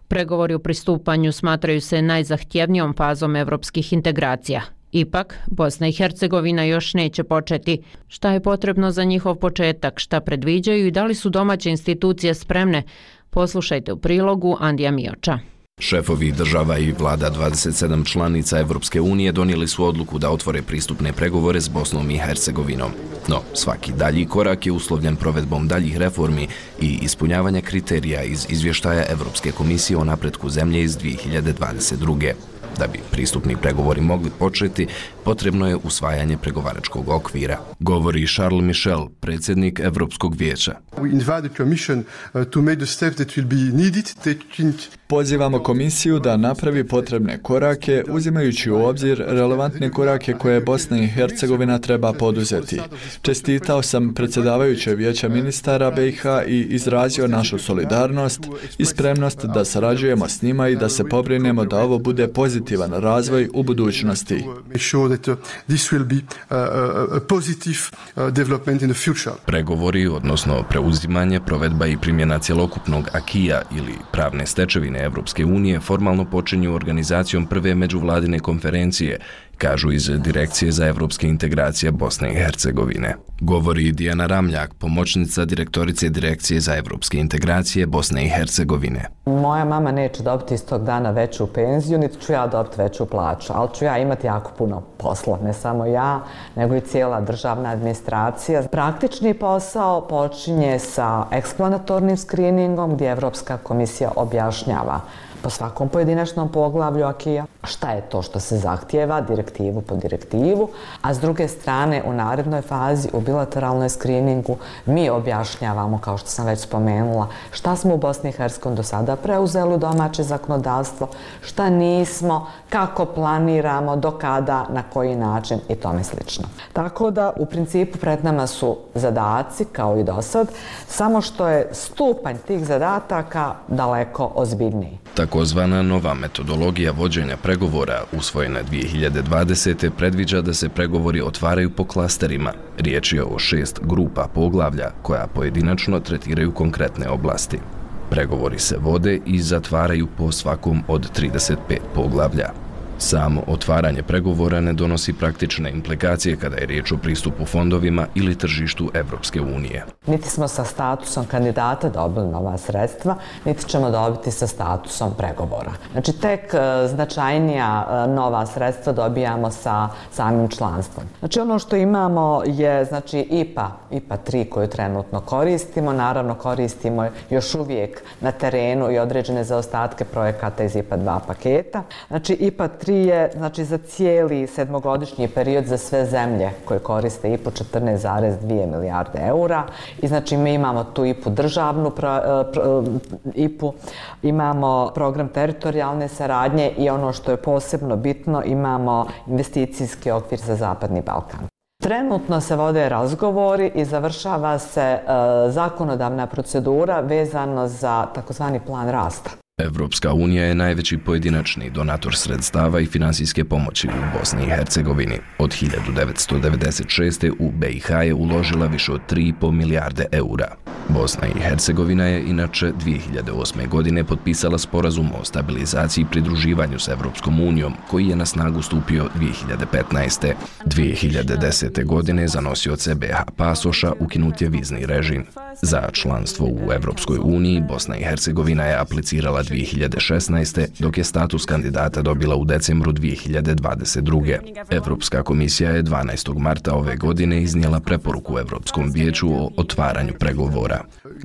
S7: Pregovori o pristupanju smatraju se najzahtjevnijom fazom evropskih integracija. Ipak, Bosna i Hercegovina još neće početi. Šta je potrebno za njihov početak, šta predviđaju i da li su domaće institucije spremne? Poslušajte u prilogu Andija Mioča.
S29: Šefovi država i vlada 27 članica Evropske unije donijeli su odluku da otvore pristupne pregovore s Bosnom i Hercegovinom. No, svaki dalji korak je uslovljen provedbom daljih reformi i ispunjavanja kriterija iz izvještaja Evropske komisije o napretku zemlje iz 2022. Da bi pristupni pregovori mogli početi, potrebno je usvajanje pregovaračkog okvira, govori Charles Michel, predsjednik Evropskog vijeća.
S30: Pozivamo komisiju da napravi potrebne korake, uzimajući u obzir relevantne korake koje Bosna i Hercegovina treba poduzeti. Čestitao sam predsjedavajuće vijeća ministara BiH i izrazio našu solidarnost i spremnost da sarađujemo s njima i da se pobrinemo da ovo bude pozitivan razvoj u budućnosti.
S29: Pregovori, odnosno preuzimanje, provedba i primjena cjelokupnog akija ili pravne stečevine Evropske unije formalno počinju organizacijom prve međuvladine konferencije kažu iz Direkcije za evropske integracije Bosne i Hercegovine. Govori Dijana Ramljak, pomoćnica direktorice Direkcije za evropske integracije Bosne i Hercegovine.
S16: Moja mama neće dobiti istog dana veću penziju, niti ću ja dobiti veću plaću, ali ću ja imati jako puno posla, ne samo ja, nego i cijela državna administracija. Praktični posao počinje sa eksplanatornim screeningom gdje Evropska komisija objašnjava po svakom pojedinačnom poglavlju akija šta je to što se zahtijeva, direktivu po direktivu, a s druge strane u narednoj fazi, u bilateralnoj screeningu, mi objašnjavamo, kao što sam već spomenula, šta smo u Bosni i Hercegovini do sada preuzeli u domaće zakonodavstvo, šta nismo, kako planiramo, do kada, na koji način i tome slično. Tako da u principu pred nama su zadaci, kao i do sad, samo što je stupanj tih zadataka daleko ozbiljniji.
S29: Takozvana nova metodologija vođenja pregovora, usvojena 2020. predviđa da se pregovori otvaraju po klasterima. Riječ je o 6 grupa poglavlja koja pojedinačno tretiraju konkretne oblasti. Pregovori se vode i zatvaraju po svakom od 35 poglavlja. Samo otvaranje pregovora ne donosi praktične implikacije kada je riječ o pristupu fondovima ili tržištu Evropske unije.
S16: Niti smo sa statusom kandidata dobili nova sredstva, niti ćemo dobiti sa statusom pregovora. Znači, tek značajnija nova sredstva dobijamo sa samim članstvom. Znači, ono što imamo je IPA 3 koju trenutno koristimo. Naravno, koristimo još uvijek na terenu i određene zaostatke projekata iz IPA 2 paketa. Znači, IPA 3 je za cijeli sedmogodišnji period za sve zemlje koje koriste IPA 14,2 milijarde eura. I mi imamo tu IPA državnu IPA, imamo program teritorijalne saradnje i ono što je posebno bitno, imamo investicijski okvir za Zapadni Balkan. Trenutno se vode razgovori i završava se zakonodavna procedura vezano za takozvani plan rasta.
S29: Evropska unija je najveći pojedinačni donator sredstava i finansijske pomoći u Bosni i Hercegovini. Od 1996. u BiH je uložila više od 3,5 milijarde eura. Bosna i Hercegovina je inače 2008. godine potpisala sporazum o stabilizaciji i pridruživanju s Evropskom unijom, koji je na snagu stupio 2015. 2010. godine za nosioce BiH pasoša ukinut je vizni režim. Za članstvo u Evropskoj uniji Bosna i Hercegovina je aplicirala 2016. dok je status kandidata dobila u decembru 2022. Evropska komisija je 12. marta ove godine iznijela preporuku Evropskom vijeću o otvaranju pregovora.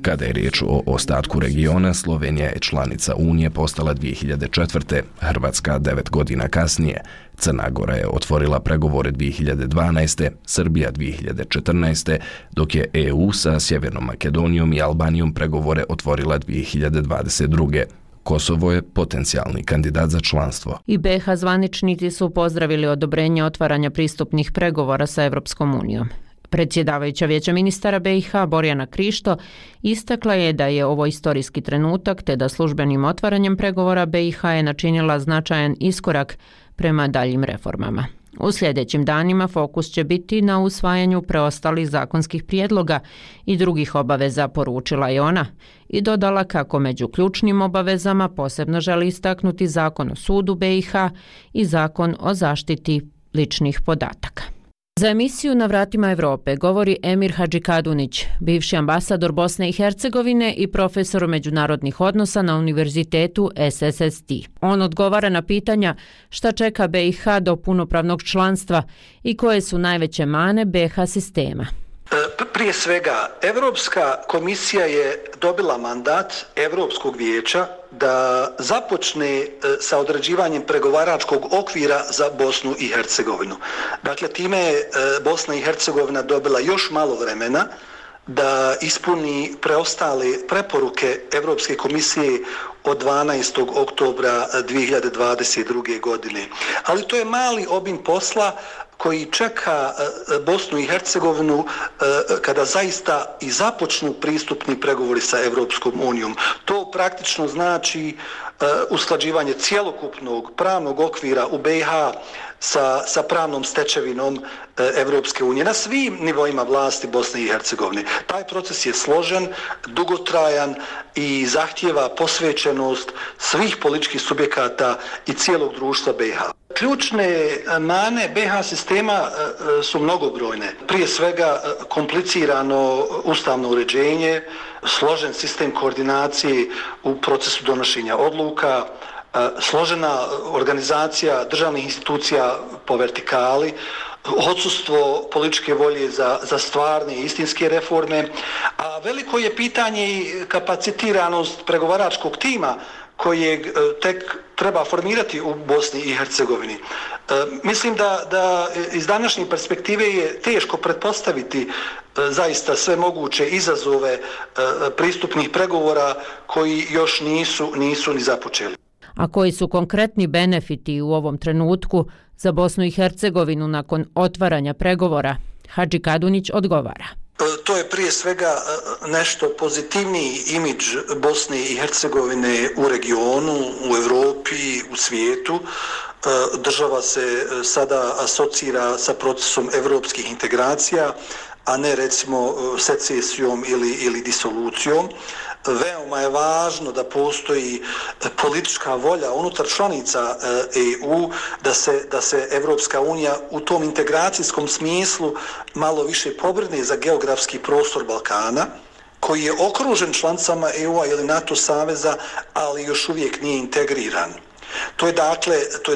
S29: Kada je riječ o ostatku regiona, Slovenija je članica Unije postala 2004. Hrvatska 9 godina kasnije. Crna Gora je otvorila pregovore 2012. Srbija 2014. dok je EU sa Sjevernom Makedonijom i Albanijom pregovore otvorila 2022. Kosovo je potencijalni kandidat za članstvo.
S7: I BiH zvaničnici su pozdravili odobrenje otvaranja pristupnih pregovora sa Evropskom unijom. Predsjedavajuća Vijeća ministara BiH Borjana Krišto istakla je da je ovo istorijski trenutak te da službenim otvaranjem pregovora BiH je načinila značajan iskorak prema daljim reformama. U sljedećim danima fokus će biti na usvajanju preostalih zakonskih prijedloga i drugih obaveza, poručila je ona, i dodala kako među ključnim obavezama posebno želi istaknuti Zakon o sudu BiH i Zakon o zaštiti ličnih podataka. Za emisiju Na vratima Evrope govori Emir Hadžikadunić, bivši ambasador Bosne i Hercegovine i profesor međunarodnih odnosa na Univerzitetu SSST. On odgovara na pitanja šta čeka BiH do punopravnog članstva i koje su najveće mane BiH sistema.
S17: Prije svega, Evropska komisija je dobila mandat Evropskog vijeća da započne sa određivanjem pregovaračkog okvira za Bosnu i Hercegovinu. Dakle, time je Bosna i Hercegovina dobila još malo vremena da ispuni preostale preporuke Evropske komisije od 12. oktobra 2022. godine. Ali to je mali obim posla koji čeka Bosnu i Hercegovinu kada zaista i započnu pristupni pregovori sa Evropskom unijom. To praktično znači usklađivanje cjelokupnog pravnog okvira u BiH sa pravnom stečevinom Evropske unije na svim nivoima vlasti Bosne i Hercegovine. Taj proces je složen, dugotrajan i zahtijeva posvećenost svih političkih subjekata i cijelog društva BiH. Ključne mane BiH sistema su mnogobrojne. Prije svega komplicirano ustavno uređenje, složen sistem koordinacije u procesu donošenja odluka, složena organizacija državnih institucija po vertikali, odsustvo političke volje za stvarne i istinske reforme, a veliko je pitanje i kapacitiranost pregovaračkog tima kojeg tek treba formirati u Bosni i Hercegovini. Mislim da iz današnje perspektive je teško pretpostaviti zaista sve moguće izazove pristupnih pregovora koji još nisu ni započeli.
S7: A koji su konkretni benefiti u ovom trenutku za Bosnu i Hercegovinu nakon otvaranja pregovora? Hadži Kadunić odgovara.
S17: To je prije svega nešto pozitivniji imidž Bosne i Hercegovine u regionu, u Europi, u svijetu. Država se sada asocira sa procesom evropskih integracija, a ne recimo secesijom ili disolucijom. Veoma je važno da postoji politička volja unutar članica EU da se Evropska unija u tom integracijskom smislu malo više pobrine za geografski prostor Balkana, koji je okružen članicama EU-a ili NATO saveza, ali još uvijek nije integriran. To je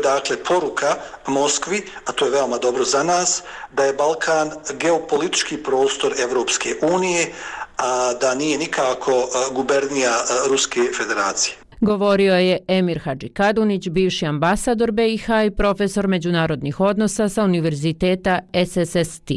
S17: dakle poruka Moskvi, a to je veoma dobro za nas, da je Balkan geopolitički prostor Evropske unije, a da nije nikako gubernija Ruske federacije.
S7: Govorio je Emir Hadži Kadunić, bivši ambasador BiH i profesor međunarodnih odnosa sa Univerziteta SSST.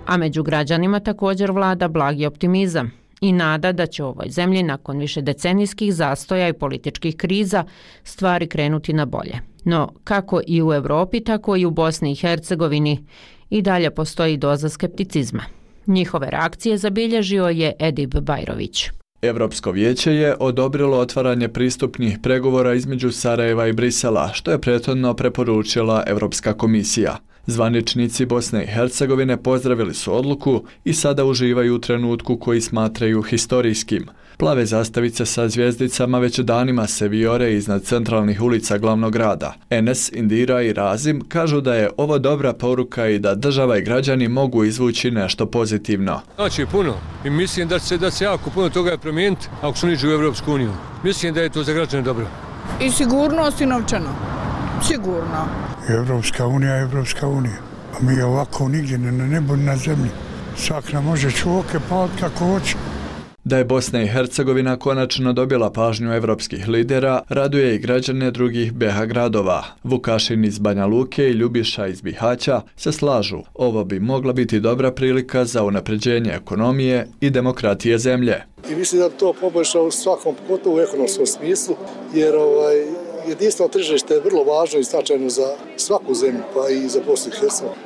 S7: A među građanima također vlada blagi optimizam i nada da će u ovoj zemlji nakon višedecenijskih zastoja i političkih kriza stvari krenuti na bolje. No, kako i u Europi, tako i u Bosni i Hercegovini i dalje postoji doza skepticizma. Njihove reakcije zabilježio je Edip Bajrović.
S30: Europsko vijeće je odobrilo otvaranje pristupnih pregovora između Sarajeva i Brisela, što je prethodno preporučila Europska komisija. Zvaničnici Bosne i Hercegovine pozdravili su odluku i sada uživaju u trenutku koji smatraju historijskim. Plave zastavice sa zvijezdicama već danima se vijore iznad centralnih ulica glavnog grada. Enes, Indira i Razim kažu da je ovo dobra poruka i da država i građani mogu izvući nešto pozitivno.
S3: Znači puno i mislim da se jako puno toga je promijeniti ako su niđu u Evropsku uniju. Mislim da je to za građane dobro.
S18: I sigurnost i novčano. Sigurno.
S21: Evropska unija je Evropska unija. A mi ovako nigdje na nebu na zemlji. Svak nam može čuoke paliti kako hoće.
S30: Da je Bosna i Hercegovina konačno dobila pažnju evropskih lidera, raduje i građane drugih BiH gradova. Vukašin iz Banja Luke i Ljubiša iz Bihaća se slažu. Ovo bi mogla biti dobra prilika za unapređenje ekonomije i demokratije zemlje.
S9: I mislim da to poboljša u svakom, pogotovo u ekonomskom smislu, jer jedinstveno tržište je vrlo važno i značajno za svaku zemlju, pa i za Bosnu i Hercegovinu.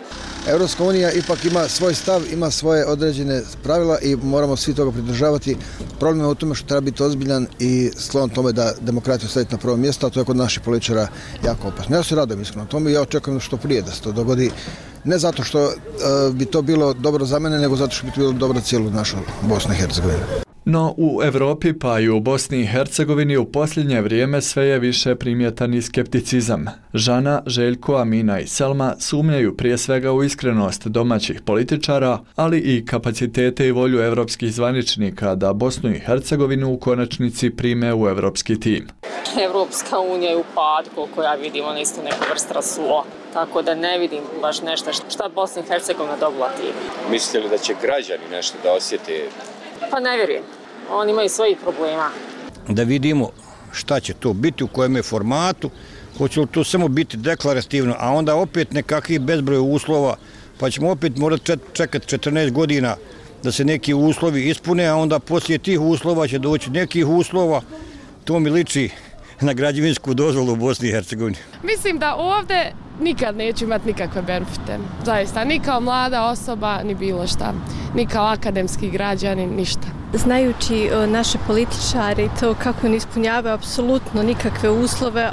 S22: Europska unija ipak ima svoj stav, ima svoje određene pravila i moramo svi toga pridržavati. Problem je u tome što treba biti ozbiljan i sklon tome da demokratiju staviti na prvo mjesto, a to je kod naših političara jako opasno. Ja se radujem iskreno tome i ja očekujem što prije da se to dogodi. Ne zato što bi to bilo dobro za mene, nego zato što bi to bilo dobro za cijelu našu Bosnu i Hercegovinu.
S30: No u Europi pa i u Bosni i Hercegovini u posljednje vrijeme sve je više primjetan i skepticizam. Žana, Željko, Amina i Selma sumnjaju prije svega u iskrenost domaćih političara, ali i kapacitete i volju evropskih zvaničnika da Bosnu i Hercegovinu u konačnici prime u evropski tim.
S23: Evropska unija je u pad, koliko ja vidim, ona isto neka vrsta rasula. Tako da ne vidim baš nešto šta Bosna i Hercegovina dobila tim.
S24: Mislite li da će građani nešto da osjete?
S23: Pa ne vjerujem. Oni imaju svojih problema.
S12: Da vidimo šta će to biti, u kojem je formatu, hoće li to samo biti deklarativno, a onda opet nekakvih bezbroj uslova, pa ćemo opet morati čekati 14 godina da se neki uslovi ispune, a onda poslije tih uslova će doći nekih uslova. To mi liči na građevinsku dozvolu u Bosni i Hercegovini.
S13: Mislim da ovdje nikad neću imati nikakve benefite. Zaista, ni kao mlada osoba, ni bilo šta. Ni kao akademski građanin, ništa.
S14: Znajući naše političare i to kako ne ispunjavaju apsolutno nikakve uslove,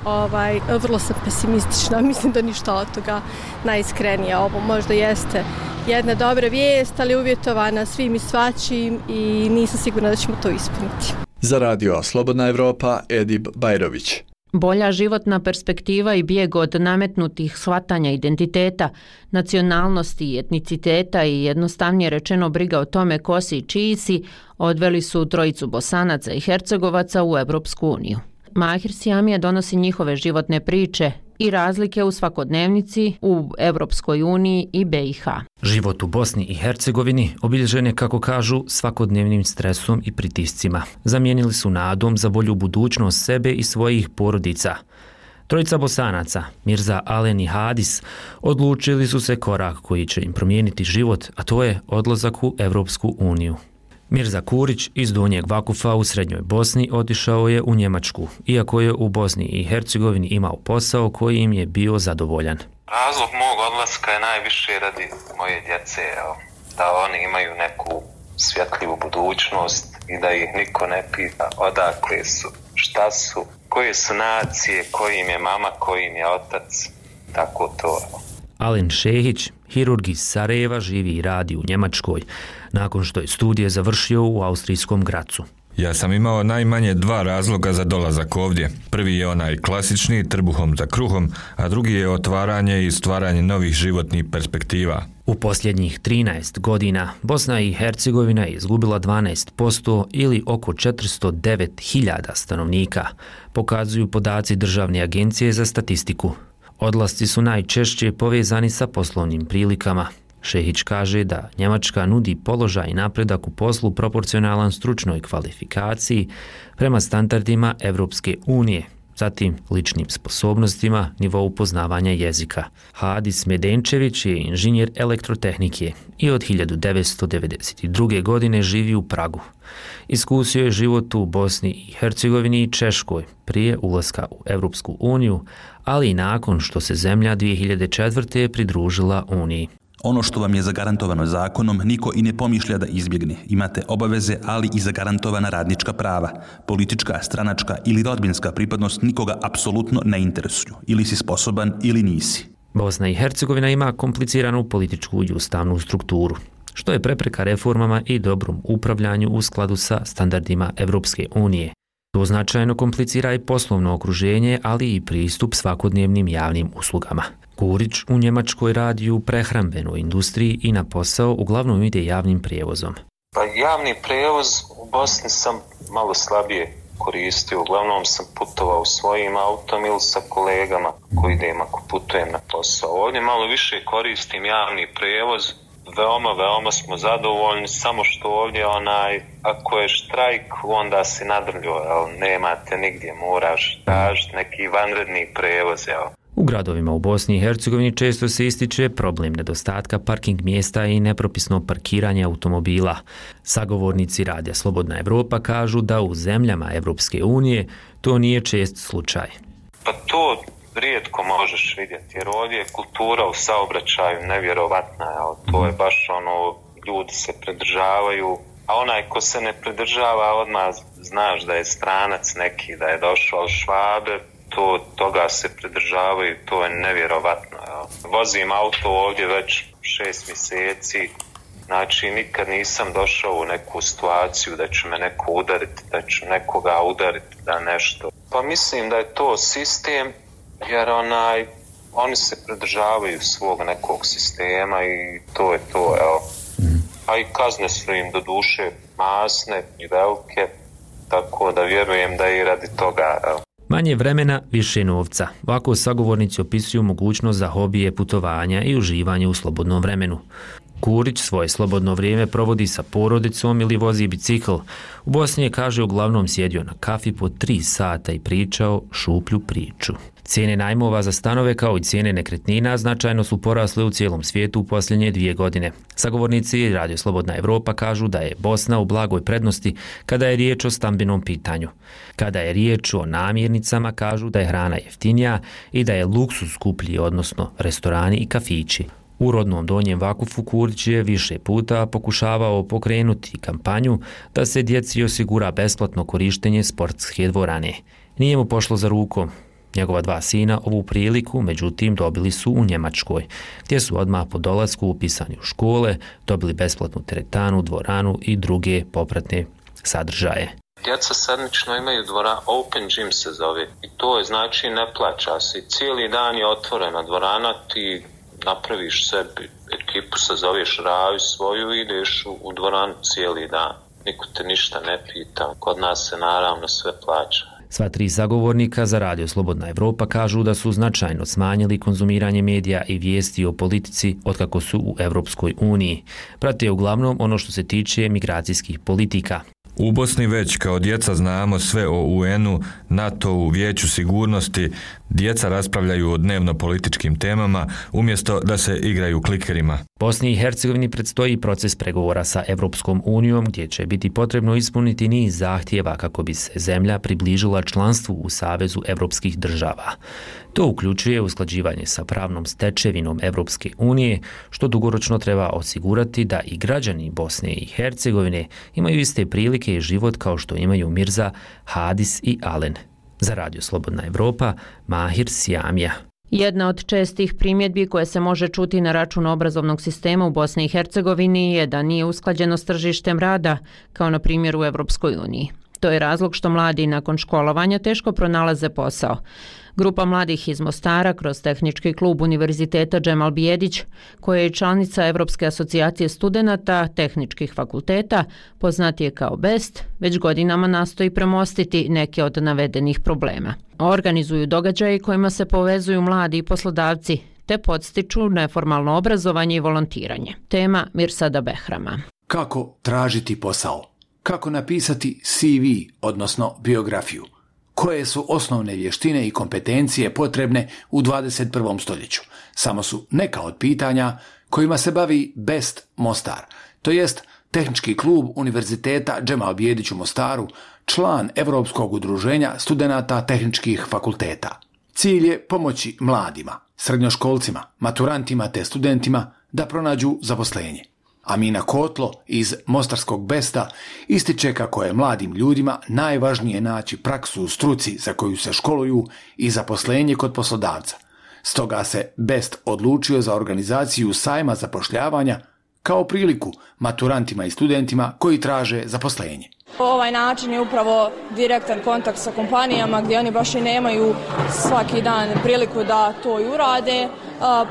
S14: vrlo sam pesimistična. Mislim da ništa od toga najiskrenije. Ovo možda jeste jedna dobra vijest, ali uvjetovana svim i svačim i nisam sigurna da ćemo to ispuniti.
S30: Za radio Slobodna Evropa, Edip Bajrović.
S7: Bolja životna perspektiva i bijeg od nametnutih shvatanja identiteta, nacionalnosti i etniciteta i jednostavnije rečeno briga o tome ko si i čiji si odveli su trojicu Bosanaca i Hercegovaca u Evropsku uniju. Mahir Siamija donosi njihove životne priče i razlike u svakodnevnici u Evropskoj uniji i BiH.
S1: Život u Bosni i Hercegovini obilježen je, kako kažu, svakodnevnim stresom i pritiscima. Zamijenili su nadom za bolju budućnost sebe i svojih porodica. Trojica Bosanaca, Mirza Alen i Hadis, odlučili su se korak koji će im promijeniti život, a to je odlazak u Evropsku uniju. Mirza Kurić iz Donjeg Vakufa u Srednjoj Bosni otišao je u Njemačku, iako je u Bosni i Hercegovini imao posao koji im je bio zadovoljan.
S15: Razlog mog odlaska je najviše radi moje djece, da oni imaju neku svjetljivu budućnost i da ih niko ne pita odakle su, šta su, koje su nacije, koji im je mama, koji im je otac, tako to.
S1: Alen Šehić, hirurg iz Sarajeva, živi i radi u Njemačkoj, nakon što je studije završio u austrijskom Gracu.
S2: Ja sam imao najmanje 2 razloga za dolazak ovdje. Prvi je onaj klasični, trbuhom za kruhom, a drugi je otvaranje i stvaranje novih životnih perspektiva.
S1: U posljednjih 13 godina Bosna i Hercegovina je izgubila 12% ili oko 409.000 stanovnika, pokazuju podaci Državne agencije za statistiku. Odlasci su najčešće povezani sa poslovnim prilikama. Šehić kaže da Njemačka nudi položaj i napredak u poslu proporcionalan stručnoj kvalifikaciji prema standardima Evropske unije, zatim ličnim sposobnostima, nivou poznavanja jezika. Hadis Medenčević je inženjer elektrotehnike i od 1992. godine živi u Pragu. Iskusio je život u Bosni i Hercegovini i Češkoj prije ulaska u Evropsku uniju, ali i nakon što se zemlja 2004. pridružila Uniji.
S4: Ono što vam je zagarantovano zakonom, niko i ne pomišlja da izbjegne. Imate obaveze, ali i zagarantovana radnička prava. Politička, stranačka ili rodbinska pripadnost nikoga apsolutno ne interesuju. Ili si sposoban ili nisi.
S1: Bosna i Hercegovina ima kompliciranu političku i ustavnu strukturu, što je prepreka reformama i dobrom upravljanju u skladu sa standardima Evropske unije. To značajno komplicira i poslovno okruženje, ali i pristup svakodnevnim javnim uslugama. Kurić u Njemačkoj radi u prehrambenoj industriji i na posao uglavnom ide javnim prijevozom.
S15: Pa javni prijevoz u Bosni sam malo slabije koristio. Uglavnom sam putovao svojim autom ili sa kolegama koji idem ako putujem na posao. Ovdje malo više koristim javni prijevoz. Veoma smo zadovoljni, samo što ovdje ako je štrajk, onda si nadrljio, nemate nigdje, moraš tražiti neki vanredni prevoz.
S1: U gradovima u Bosni i Hercegovini često se ističe problem nedostatka parking mjesta i nepropisno parkiranje automobila. Sagovornici Radija Slobodna Evropa kažu da u zemljama Evropske unije to nije čest slučaj.
S15: Pa to rijetko možeš vidjeti, jer ovdje je kultura u saobraćaju nevjerovatna, to je baš ljudi se pridržavaju, a onaj ko se ne pridržava odmah znaš da je stranac neki, da je došao od Švabe, toga se pridržavaju, to je nevjerovatno. Vozim auto ovdje već 6 mjeseci, znači nikad nisam došao u neku situaciju da će me neko udariti, da ću nekoga udariti, da nešto. Pa mislim da je to sistem, jer oni se pridržavaju svog nekog sistema i to je to, A i kazne su im do duše masne i velike, tako da vjerujem da i radi toga,
S1: Manje vremena, više novca. Ovako sagovornici opisuju mogućnost za hobije, putovanja i uživanje u slobodnom vremenu. Kurić svoje slobodno vrijeme provodi sa porodicom ili vozi bicikl. U Bosni je, kaže, uglavnom sjedio na kafi po 3 sata i pričao šuplju priču. Cijene najmova za stanove kao i cijene nekretnina značajno su porasle u cijelom svijetu u posljednje 2 godine. Sagovornici Radio Slobodna Evropa kažu da je Bosna u blagoj prednosti kada je riječ o stambenom pitanju. Kada je riječ o namirnicama, kažu da je hrana jeftinija i da je luksuz skuplji, odnosno restorani i kafići. U rodnom Donjem Vakufu Kurđ je više puta pokušavao pokrenuti kampanju da se djeci osigura besplatno korištenje sportske dvorane. Nije mu pošlo za rukom. Njegova 2 sina ovu priliku, međutim, dobili su u Njemačkoj, gdje su odmah po dolasku upisani u škole, dobili besplatnu teretanu, dvoranu i druge popratne sadržaje.
S15: Djeca sedmično imaju dvoranu, open gym se zove, i to je znači ne plaća se. Cijeli dan je otvorena dvorana, ti napraviš sebi ekipu, se zoveš raju svoju i ideš u dvoranu cijeli dan. Niko te ništa ne pita, kod nas se naravno sve plaća.
S1: Sva 3 zagovornika za Radio Slobodna Evropa kažu da su značajno smanjili konzumiranje medija i vijesti o politici otkako su u Evropskoj uniji. Prate uglavnom ono što se tiče migracijskih politika.
S2: U Bosni već kao djeca znamo sve o UN-u, NATO-u, Vijeću sigurnosti. Djeca raspravljaju o dnevno političkim temama umjesto da se igraju klikerima.
S1: Bosni i Hercegovini predstoji proces pregovora sa Evropskom unijom gdje će biti potrebno ispuniti niz zahtjeva kako bi se zemlja približila članstvu u Savezu evropskih država. To uključuje usklađivanje sa pravnom stečevinom Evropske unije, što dugoročno treba osigurati da i građani Bosne i Hercegovine imaju iste prilike i život kao što imaju Mirza, Hadis i Alen. Za Radio Slobodna Evropa, Mahir Sjamija.
S7: Jedna od čestih primjedbi koje se može čuti na račun obrazovnog sistema u Bosni i Hercegovini je da nije usklađeno s tržištem rada, kao na primjer u Evropskoj uniji. To je razlog što mladi nakon školovanja teško pronalaze posao. Grupa mladih iz Mostara kroz tehnički klub Univerziteta Džemal Bijedić, koja je članica Evropske asocijacije studenata tehničkih fakulteta, poznat je kao BEST, već godinama nastoji premostiti neke od navedenih problema. Organizuju događaje kojima se povezuju mladi i poslodavci, te podstiču neformalno obrazovanje i volontiranje. Tema Mirsada Behrama.
S5: Kako tražiti posao? Kako napisati CV, odnosno biografiju? Koje su osnovne vještine i kompetencije potrebne u 21. stoljeću? Samo su neka od pitanja kojima se bavi BEST Mostar, to jest Tehnički klub Univerziteta Džemal Bijedić u Mostaru, član Europskog udruženja studenata tehničkih fakulteta. Cilj je pomoći mladima, srednjoškolcima, maturantima te studentima da pronađu zaposlenje. Amina Kotlo iz Mostarskog BEST-a ističe kako je mladim ljudima najvažnije naći praksu u struci za koju se školuju i zaposlenje kod poslodavca. Stoga se BEST odlučio za organizaciju sajma zapošljavanja kao priliku maturantima i studentima koji traže zaposlenje.
S13: Ovaj način je upravo direktan kontakt sa kompanijama gdje oni baš i nemaju svaki dan priliku da to i urade,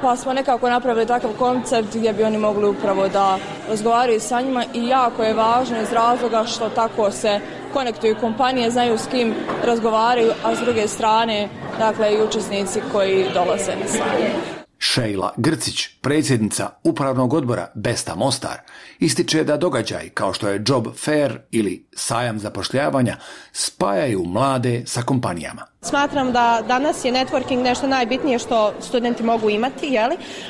S13: pa smo nekako napravili takav koncept gdje bi oni mogli upravo da razgovaraju sa njima i jako je važno iz razloga što tako se konektuju kompanije, znaju s kim razgovaraju, a s druge strane dakle i učesnici koji dolaze na sajam.
S5: Šejla Grcić, predsjednica upravnog odbora BEST-a Mostar, ističe da događaj kao što je Job Fair ili sajam zapošljavanja spajaju mlade sa kompanijama.
S14: Smatram da danas je networking nešto najbitnije što studenti mogu imati,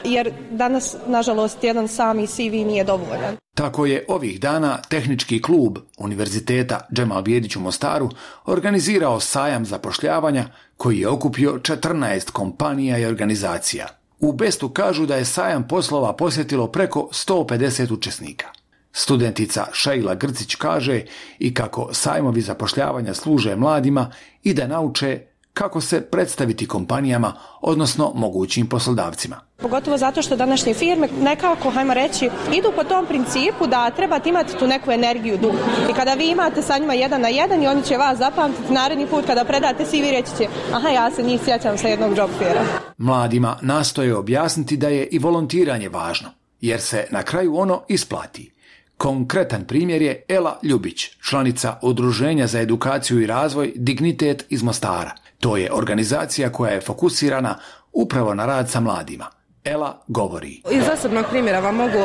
S14: jer danas, nažalost, jedan sami CV nije dovoljan.
S5: Tako je ovih dana Tehnički klub Univerziteta Džemal Bijedić u Mostaru organizirao sajam zapošljavanja koji je okupio 14 kompanija i organizacija. U BEST-u kažu da je sajam poslova posjetilo preko 150 učesnika. Studentica Šejla Grcić kaže i kako sajmovi zapošljavanja služe mladima i da nauče kako se predstaviti kompanijama, odnosno mogućim poslodavcima.
S14: Pogotovo zato što današnje firme nekako, hajmo reći, idu po tom principu da trebate imati tu neku energiju duh. I kada vi imate sa njima 1 na 1 i oni će vas zapamtiti, naredni put kada predate CV reći će, aha, ja se njih sjećam sa jednog job faira.
S5: Mladima nastoje objasniti da je i volontiranje važno, jer se na kraju ono isplati. Konkretan primjer je Ela Ljubić, članica Udruženja za edukaciju i razvoj Dignitet iz Mostara. To je organizacija koja je fokusirana upravo na rad sa mladima. Ela govori.
S6: Iz osobnog primjera vam mogu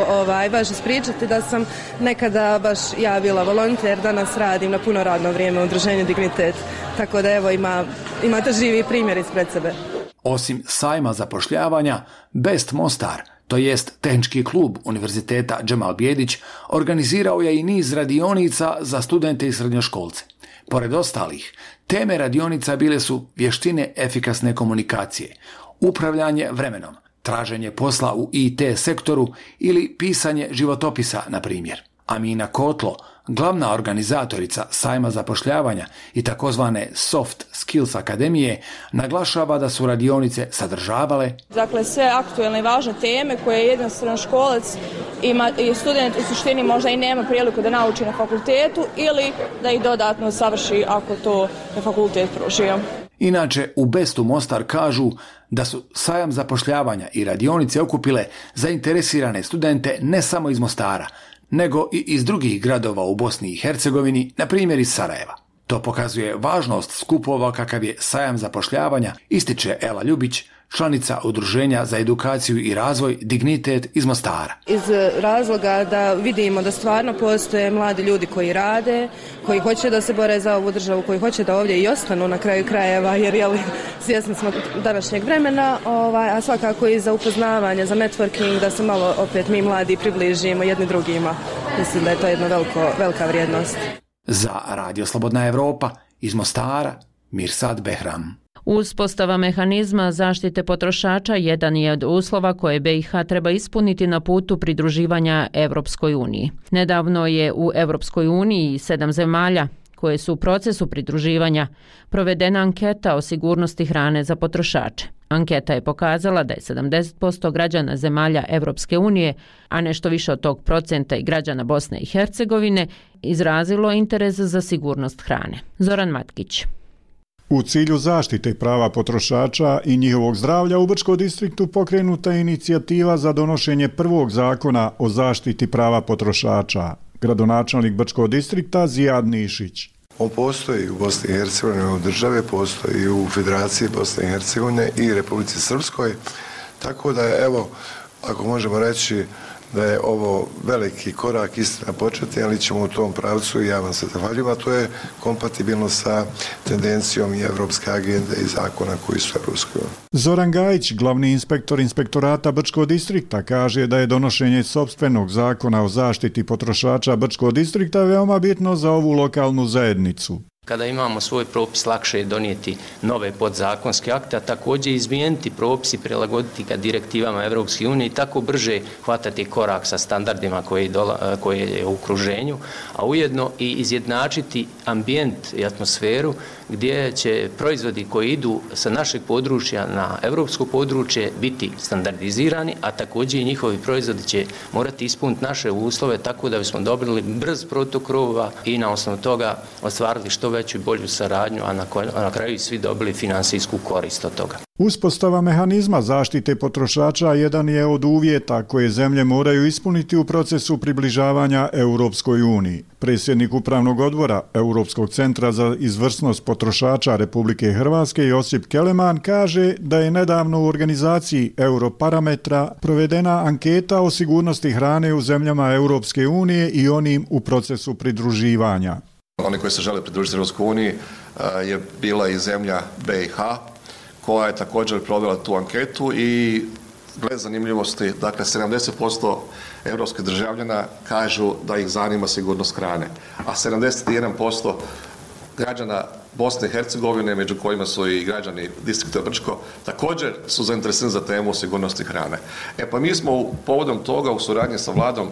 S6: baš ispričati da sam nekada baš ja bila volonter, danas radim na puno radno vrijeme u Udruženju Dignitet. Tako da evo imate živi primjer ispred sebe.
S5: Osim sajma zapošljavanja, BEST Mostar, to jest Tehnički klub Univerziteta Džemal Bijedić, organizirao je i niz radionica za studente i srednjoškolce. Pored ostalih, teme radionica bile su vještine efikasne komunikacije, upravljanje vremenom, traženje posla u IT sektoru ili pisanje životopisa, na primjer. Amina Kotlo, glavna organizatorica sajma zapošljavanja i takozvane Soft Skills Akademije, naglašava da su radionice sadržavale
S13: dakle sve aktuelne i važne teme koje jedan srednjoškolac ima i student u suštini možda i nema priliku da nauči na fakultetu ili da ih dodatno savrši ako to je fakultet pružio.
S5: Inače, u Bestu Mostar kažu da su sajam zapošljavanja i radionice okupile zainteresirane studente ne samo iz Mostara, nego i iz drugih gradova u Bosni i Hercegovini, na primjer iz Sarajeva. To pokazuje važnost skupova kakav je sajam zapošljavanja, ističe Ela Ljubić, članica Udruženja za edukaciju i razvoj Dignitet iz Mostara.
S6: Iz razloga da vidimo da stvarno postoje mladi ljudi koji rade, koji hoće da se bore za ovu državu, koji hoće da ovdje i ostanu na kraju krajeva, jer svjesni smo današnjeg vremena, a svakako i za upoznavanje, za networking, da se malo opet mi mladi približimo jedni drugima. Mislim da je to jedna velika vrijednost.
S5: Za Radio Slobodna Evropa iz Mostara, Mirsad Behram.
S7: Uspostava mehanizma zaštite potrošača jedan je od uslova koje BiH treba ispuniti na putu pridruživanja Evropskoj uniji. Nedavno je u Evropskoj uniji 7 zemalja koje su u procesu pridruživanja provedena anketa o sigurnosti hrane za potrošače. Anketa je pokazala da je 70% građana zemalja Evropske unije, a nešto više od tog procenta i građana Bosne i Hercegovine, izrazilo interes za sigurnost hrane. Zoran Matkić.
S8: U cilju zaštite prava potrošača i njihovog zdravlja u Brčkom distriktu pokrenuta je inicijativa za donošenje prvog zakona o zaštiti prava potrošača. Gradonačelnik Brčkog distrikta Zijad Nišić.
S10: On postoji u Bosni i Hercegovini, u države, postoji u Federaciji Bosne i Hercegovine i Republici Srpskoj. Tako da je, evo, ako možemo reći da je ovo veliki korak istina početi, ali ćemo u tom pravcu i ja vam se zahvaljujem, a to je kompatibilno sa tendencijom i evropske agende i zakona koji su evropski.
S8: Zoran Gajić, glavni inspektor inspektorata Brčkog distrikta, kaže da je donošenje sopstvenog zakona o zaštiti potrošača Brčkog distrikta veoma bitno za ovu lokalnu zajednicu.
S11: Kada imamo svoj propis, lakše je donijeti nove podzakonske akte, a također izmijeniti propis i prilagoditi ga direktivama Evropske unije i tako brže hvatati korak sa standardima koje je u okruženju, a ujedno i izjednačiti ambijent i atmosferu gdje će proizvodi koji idu sa našeg područja na evropsko područje biti standardizirani, a također i njihovi proizvodi će morati ispuniti naše uslove tako da bismo dobili brz protok rova i na osnovu toga ostvarili što veću i bolju saradnju, a na kraju svi dobili finansijsku korist od toga.
S8: Uspostava mehanizma zaštite potrošača jedan je od uvjeta koje zemlje moraju ispuniti u procesu približavanja Europskoj uniji. Predsjednik Upravnog odbora Europskog centra za izvrsnost potrošača Republike Hrvatske Josip Keleman kaže da je nedavno u organizaciji Europarametra provedena anketa o sigurnosti hrane u zemljama Europske unije i onim u procesu pridruživanja.
S16: Oni koji se žele pridružiti Europskoj uniji je bila i zemlja BiH, koja je također provela tu anketu i gled zanimljivosti, dakle 70% europskih državljana kažu da ih zanima sigurnost hrane, a 71% građana Bosne i Hercegovine, među kojima su i građani distrikta Brčko, također su zainteresirani za temu sigurnosti hrane. Pa mi smo povodom toga u suradnji sa vladom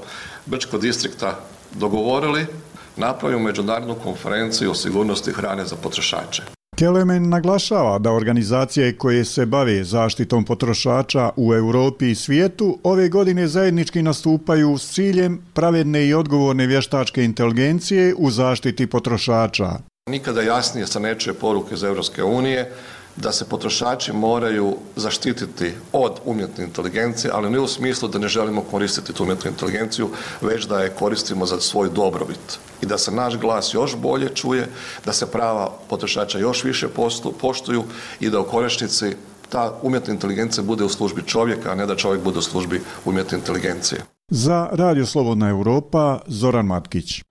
S16: Brčkog distrikta dogovorili napravimo međunarodnu konferenciju o sigurnosti hrane za potrošače.
S8: Kelemen naglašava da organizacije koje se bave zaštitom potrošača u Europi i svijetu ove godine zajednički nastupaju s ciljem pravedne i odgovorne vještačke inteligencije u zaštiti potrošača.
S16: Nikada jasnije se ne čuje poruke iz Europske unije da se potrošači moraju zaštititi od umjetne inteligencije, ali ne u smislu da ne želimo koristiti tu umjetnu inteligenciju, već da je koristimo za svoj dobrobit. I da se naš glas još bolje čuje, da se prava potrošača još više poštuju i da u konačnici ta umjetna inteligencija bude u službi čovjeka, a ne da čovjek bude u službi umjetne inteligencije.
S8: Za Radio Slobodna Evropa, Zoran Matkić.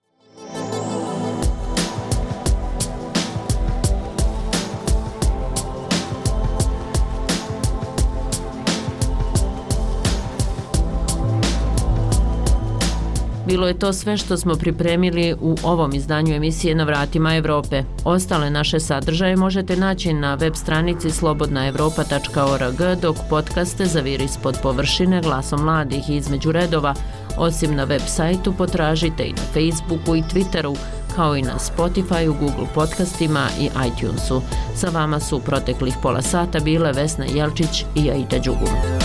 S7: bilo je to sve što smo pripremili u ovom izdanju emisije Na vratima Evrope. Ostale naše sadržaje možete naći na web stranici slobodnaevropa.org, dok podcaste Zaviri ispod površine, Glasom mladih i Između redova, osim na web sajtu, potražite i na Facebooku i Twitteru, kao i na Spotifyu, Google podcastima i iTunesu. Sa vama su u proteklih pola sata bile Vesna Jelčić i Aida Đugum.